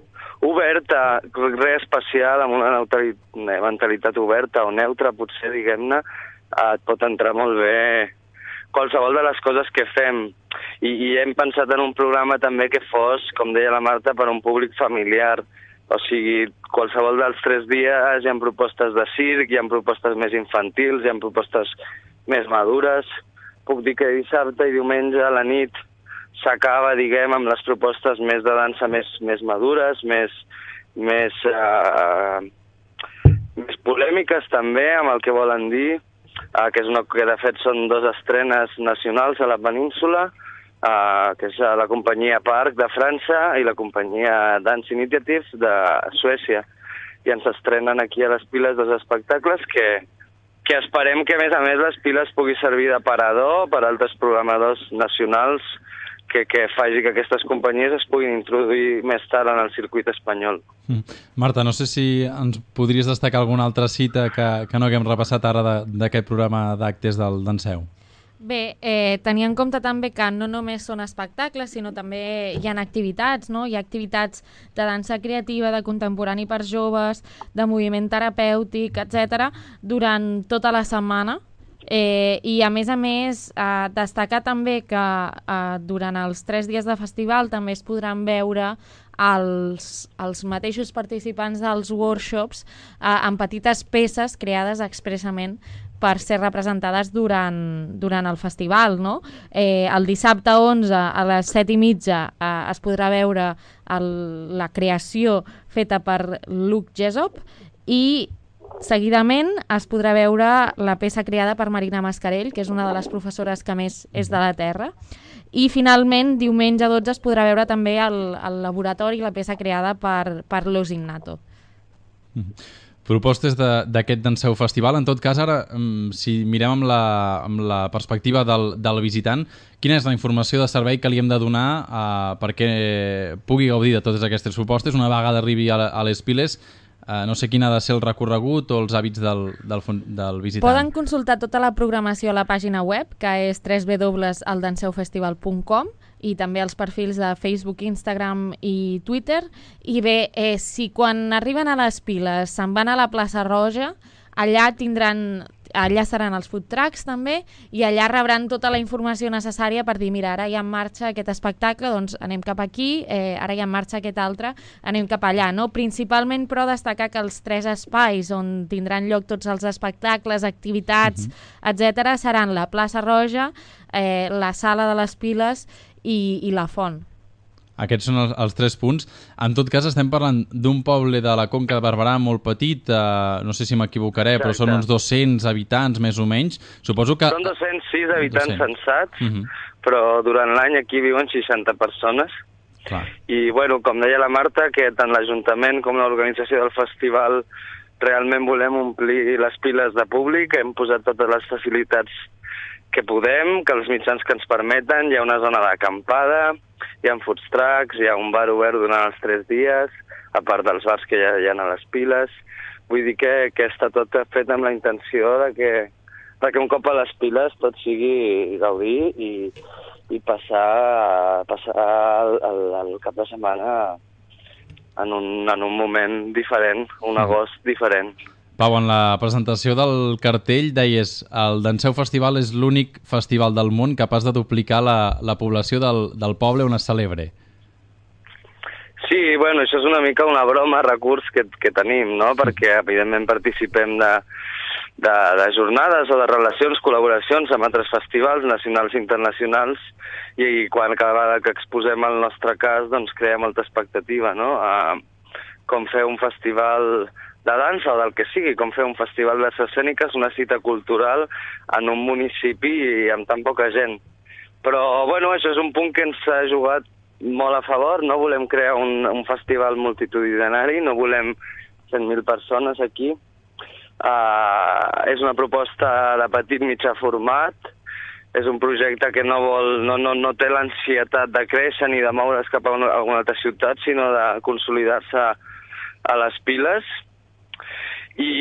oberta, res especial, amb una mentalitat oberta o neutra, potser, diguem-ne, uh, et pot entrar molt bé qualsevol de les coses que fem. I, i hem pensat en un programa també que fos, com deia la Marta, per a un públic familiar. O sigui, qualsevol dels tres dies hi ha propostes de circ, hi ha propostes més infantils, hi ha propostes més madures. Puc dir que dissabte i diumenge a la nit s'acaba, diguem, amb les propostes més de dansa més, més madures, més, més, uh, més polèmiques també, amb el que volen dir. Uh, que és una que de fet són dues estrenes nacionals a la península, uh, que és la companyia Parc de França i la companyia Dance Initiative de Suècia. I ens estrenen aquí a les Piles dos espectacles que, que esperem que a més a més les Piles pugui servir d'aparador per a altres programadors nacionals que, que faci que aquestes companyies es puguin introduir més tard en el circuit espanyol. Mm. Marta, no sé si ens podries destacar alguna altra cita que, que no haguem repassat ara d'aquest programa d'actes del Danseu. Bé, eh, tenir en compte també que no només són espectacles, sinó també hi ha activitats, no? Hi ha activitats de dansa creativa, de contemporani per joves, de moviment terapèutic, etcètera, durant tota la setmana. Eh, I a més a més eh, destacar també que eh, durant els tres dies de festival també es podran veure els, els mateixos participants dels workshops eh, en petites peces creades expressament per ser representades durant, durant el festival, no? Eh, el dissabte onze a les set i mitja eh, es podrà veure el, la creació feta per Luc Jessop i seguidament es podrà veure la peça creada per Marina Mascarell, que és una de les professores que més és de la Terra. I finalment, diumenge dotze es podrà veure també el, el laboratori, la peça creada per, per Los Ignato. Mm-hmm. Propostes d'aquest Danseu Festival. En tot cas, ara, si mirem amb la, amb la perspectiva del, del visitant, quina és la informació de servei que li hem de donar eh, perquè pugui gaudir de totes aquestes propostes una vegada arribi a, a les Piles? Uh, no sé quin ha de ser el recorregut o els hàbits del, del, del visitant. Poden consultar tota la programació a la pàgina web, que és w w w punt el danseu festival punt com, i també els perfils de Facebook, Instagram i Twitter. I bé, eh, si quan arriben a les Piles se'n van a la plaça Roja, allà tindran... Allà seran els food trucks també i allà rebran tota la informació necessària per dir, mira, ara hi ha en marxa aquest espectacle, doncs anem cap aquí, eh, ara hi ha en marxa aquest altre, anem cap allà, no? Principalment, però, destacar que els tres espais on tindran lloc tots els espectacles, activitats, uh-huh. etcètera, seran la plaça Roja, eh, la sala de les Piles i, i la Font. Aquests són els, els tres punts. En tot cas, estem parlant d'un poble de la Conca de Barberà molt petit, eh, no sé si m'equivocaré, però són uns dos-cents habitants, més o menys. Suposo que... Són dos-cents sis habitants dos-cents censats, uh-huh. però durant l'any aquí viuen seixanta persones. Clar. I, bueno, com deia la Marta, que tant l'Ajuntament com l'organització del festival realment volem omplir les piles de públic, hem posat totes les facilitats que podem, que els mitjans que ens permeten, hi ha una zona d'acampada, hi ha food trucks, hi ha un bar obert durant els tres dies, a part dels bars que ja hi ha a les piles. Vull dir que, que està tot fet amb la intenció de que, de que un cop a les piles tot sigui gaudir i, i passar, passar el, el, el cap de setmana en un, en un moment diferent, un agost diferent. Pau, en la presentació del cartell deies el Danseu Festival és l'únic festival del món capaç de duplicar la, la població del, del poble on es celebre. Sí, bueno, això és una mica una broma, recurs que, que tenim, no? Perquè evidentment participem de, de, de jornades o de relacions, col·laboracions amb altres festivals nacionals i internacionals i quan cada vegada que exposem el nostre cas doncs crea molta expectativa, no? Uh, com fer un festival de dansa o del que sigui, com fer un festival d'arts escèniques, una cita cultural en un municipi i amb tan poca gent. Però, bueno, això és un punt que ens ha jugat molt a favor, no volem crear un, un festival multitudinari, no volem cent mil persones aquí. Uh, és una proposta de petit mitjà format, és un projecte que no, vol, no, no, no té l'ansietat de créixer ni de moure's cap a una, a una altra ciutat, sinó de consolidar-se a les piles. I,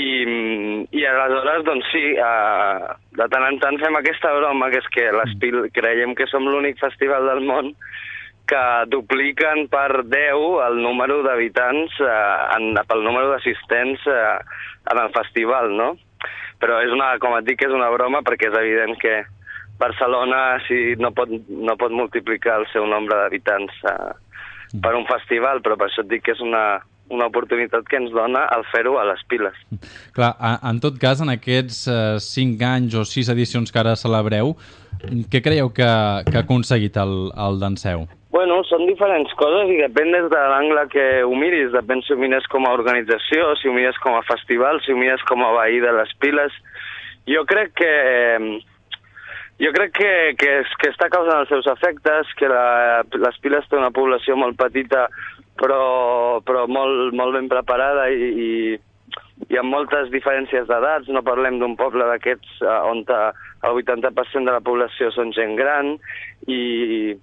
i aleshores, doncs sí, uh, de tant en tant fem aquesta broma, que és que les piles, creiem que som l'únic festival del món que dupliquen per deu el número d'habitants, eh, pel número d'assistents eh, en el festival, no? Però és una, com et dic, és una broma perquè és evident que Barcelona sí, no, pot, no pot multiplicar el seu nombre d'habitants eh, per un festival, però per això et dic que és una, una oportunitat que ens dona el fer-ho a les piles. Clar, en tot cas, en aquests eh, cinc anys o sis edicions que ara celebreu, què creieu que, que ha aconseguit el, el Danseu? Bueno, són diferents coses i depèn des de l'angle que ho miris. Depèn si ho mires com a organització, si ho mires com a festival, si ho mires com a veí de les piles. Jo crec que jo crec que, que, que està causant els seus efectes, que la, les piles té una població molt petita però, però molt, molt ben preparada i, i, i amb moltes diferències d'edats. No parlem d'un poble d'aquests on el vuitanta per cent de la població són gent gran i...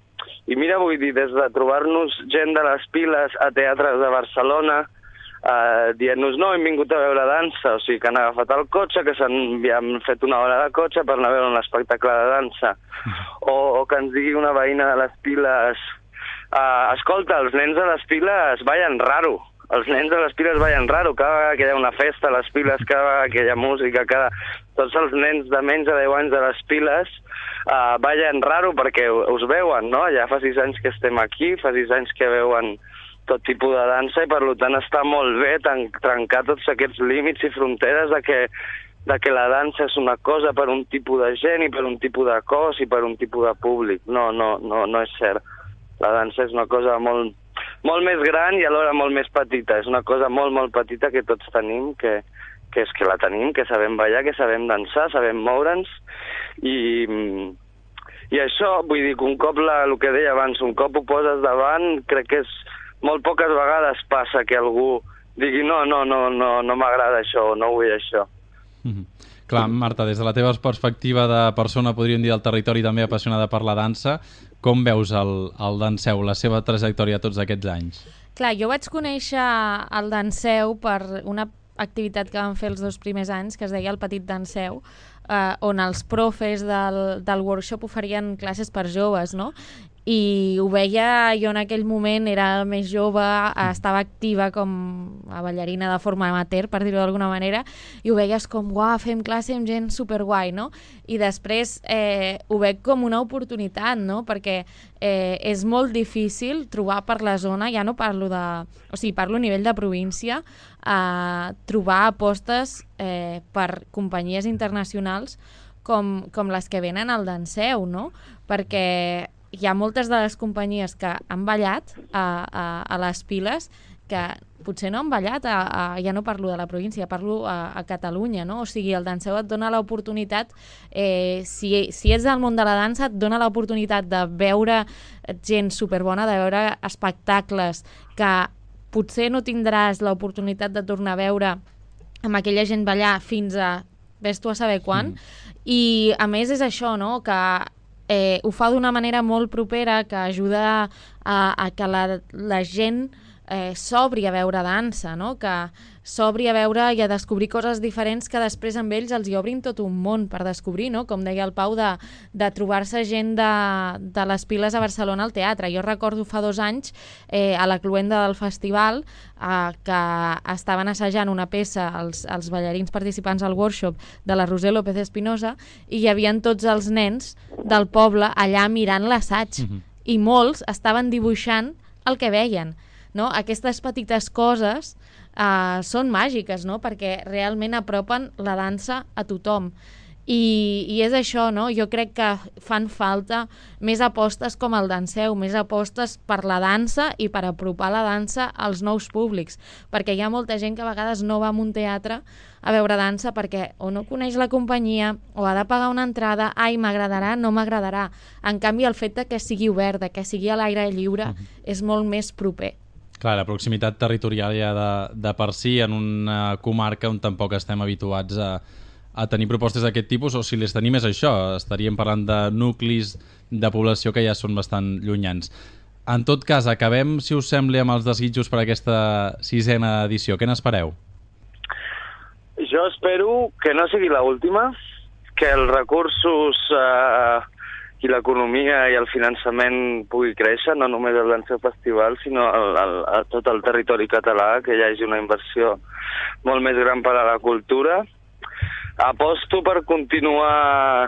I mira, vull dir, des de trobar-nos gent de les piles a teatres de Barcelona eh, dient-nos no, hem vingut a veure dansa, o sigui que han agafat el cotxe, que s'han fet una hora de cotxe per anar a veure un espectacle de dansa, o, o que ens digui una veïna de les piles eh, escolta, els nens de les piles ballen raro, els nens de les piles ballen raro, cada vegada que hi ha una festa a les piles, cada vegada que hi ha música, cada... tots els nens de menys de deu anys de les piles uh, ballen raro perquè us veuen, no? Ja fa sis anys que estem aquí, fa sis anys que veuen tot tipus de dansa i per tant està molt bé trencar tots aquests límits i fronteres de que, de que la dansa és una cosa per un tipus de gent i per un tipus de cos i per un tipus de públic. No, no, no, no és cert. La dansa és una cosa molt, molt més gran i alhora molt més petita. És una cosa molt, molt petita que tots tenim, que que és que la tenim, que sabem ballar, que sabem dansar, sabem moure'ns, i, i això, vull dir que un cop, la, el que deia abans, un cop ho poses davant, crec que és molt poques vegades passa que algú digui no, no, no, no, no m'agrada això, o no vull això. Mm-hmm. Clar, Marta, des de la teva perspectiva de persona, podríem dir, del territori també apassionada per la dansa, com veus el, el Danseu, la seva trajectòria tots aquests anys? Clar, jo vaig conèixer el Danseu per una activitat que vam fer els dos primers anys, que es deia el Petit Danseu, eh, on els profes del, del workshop oferien classes per joves, no? I ho veia jo en aquell moment, era més jove, estava activa com a ballarina de forma amateur, per dir-ho d'alguna manera, i ho veies com, uau, fem classe amb gent superguai, no? I després eh, ho veig com una oportunitat, no? Perquè eh, és molt difícil trobar per la zona, ja no parlo de... O sigui, parlo a nivell de província, eh, trobar apostes eh, per companyies internacionals com, com les que venen al Danseu, no? Perquè hi ha moltes de les companyies que han ballat a, a, a les piles que potser no han ballat, a, a, ja no parlo de la província, parlo a, a Catalunya, no? O sigui, el Danseu et dona l'oportunitat, eh, si, si ets del món de la dansa, et dona l'oportunitat de veure gent superbona, de veure espectacles que potser no tindràs l'oportunitat de tornar a veure amb aquella gent ballar fins a ves tu a saber quan, mm. i a més és això, no?, que eh, ho fa d'una manera molt propera, que ajuda a, a que la, la gent eh, s'obri a veure dansa, no?, que s'obri a veure i a descobrir coses diferents que després amb ells els hi obrin tot un món per descobrir, no?, com deia el Pau, de, de trobar-se gent de, de les piles a Barcelona al teatre. Jo recordo fa dos anys, eh, a la cloenda del festival, eh, que estaven assajant una peça, els, els ballarins participants al workshop de la Roser López Espinosa, i hi havia tots els nens del poble allà mirant l'assaig, mm-hmm. i molts estaven dibuixant el que veien, no? Aquestes petites coses Uh, són màgiques, no?, perquè realment apropen la dansa a tothom. I, i és això, no? Jo crec que fan falta més apostes com el Danseu, més apostes per la dansa i per apropar la dansa als nous públics, perquè hi ha molta gent que a vegades no va a un teatre a veure dansa perquè o no coneix la companyia o ha de pagar una entrada, ai, m'agradarà, no m'agradarà. En canvi, el fet de que sigui obert, de que sigui a l'aire lliure, mm-hmm. és molt més proper. Clar, la proximitat territorial ja de, de per si en una comarca on tampoc estem habituats a, a tenir propostes d'aquest tipus, o si les tenim és això, estaríem parlant de nuclis de població que ja són bastant llunyans. En tot cas, acabem, si us sembla, amb els desitjos per aquesta sisena edició. Què n'espereu? Jo espero que no sigui l'última, que els recursos eh, i l'economia i el finançament pugui créixer, no només el Danseu Festival, sinó el, el, a tot el territori català, que hi hagi una inversió molt més gran per a la cultura. Aposto per continuar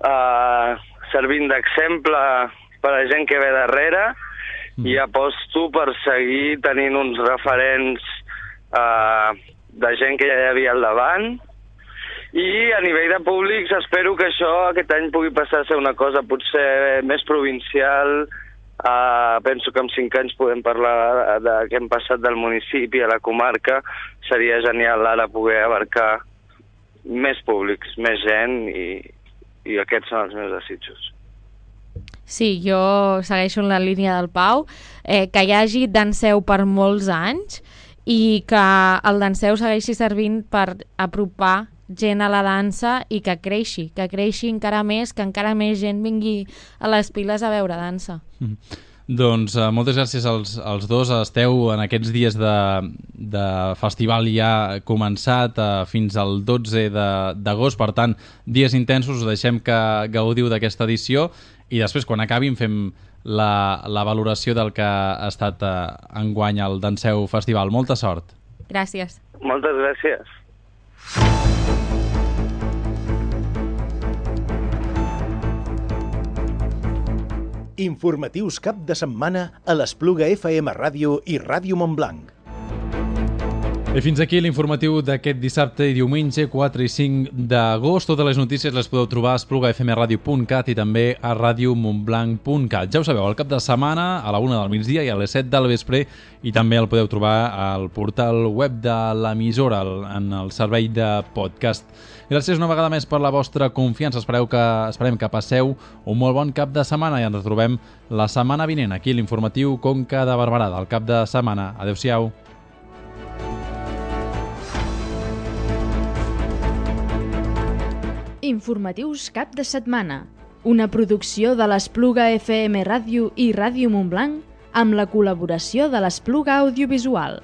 eh, servint d'exemple per a la gent que ve darrere mm. i aposto per seguir tenint uns referents eh, de gent que ja hi havia al davant. I a nivell de públics espero que això aquest any pugui passar a ser una cosa potser més provincial. Uh, penso que en cinc anys podem parlar de, de què hem passat del municipi a la comarca. Seria genial ara poder abarcar més públics, més gent, i, i aquests són els meus desitjos. Sí, jo segueixo en la línia del Pau, eh, que hi hagi Danseu per molts anys i que el Danseu segueixi servint per apropar gent a la dansa i que creixi, que creixi encara més, que encara més gent vingui a les piles a veure dansa. Mm. Doncs uh, moltes gràcies als, als dos. Esteu en aquests dies de, de festival ja començat uh, fins al dotze d'agost, per tant, dies intensos. Us deixem que gaudiu d'aquesta edició i després, quan acabin, fem la, la valoració del que ha estat uh, enguany al Danseu Festival. Molta sort. Gràcies. Moltes gràcies. Informatius cap de setmana a l'Espluga F M Ràdio i Ràdio Montblanc. I fins aquí l'informatiu d'aquest dissabte i diumenge quatre i cinc d'agost. Totes les notícies les podeu trobar a espluga f m radio punt cat i també a radio montblanc punt cat. Ja ho sabeu, al cap de setmana a la una del migdia i a les set del vespre, i també el podeu trobar al portal web de l'emissora en el servei de podcast. Gràcies una vegada més per la vostra confiança. Espereu que, esperem que passeu un molt bon cap de setmana i ens retrobem la setmana vinent aquí a l'informatiu Conca de Barberà del cap de setmana. Adéu-siau. Informatius cap de setmana, una producció de l'Espluga F M Ràdio i Ràdio Montblanc amb la col·laboració de l'Espluga Audiovisual.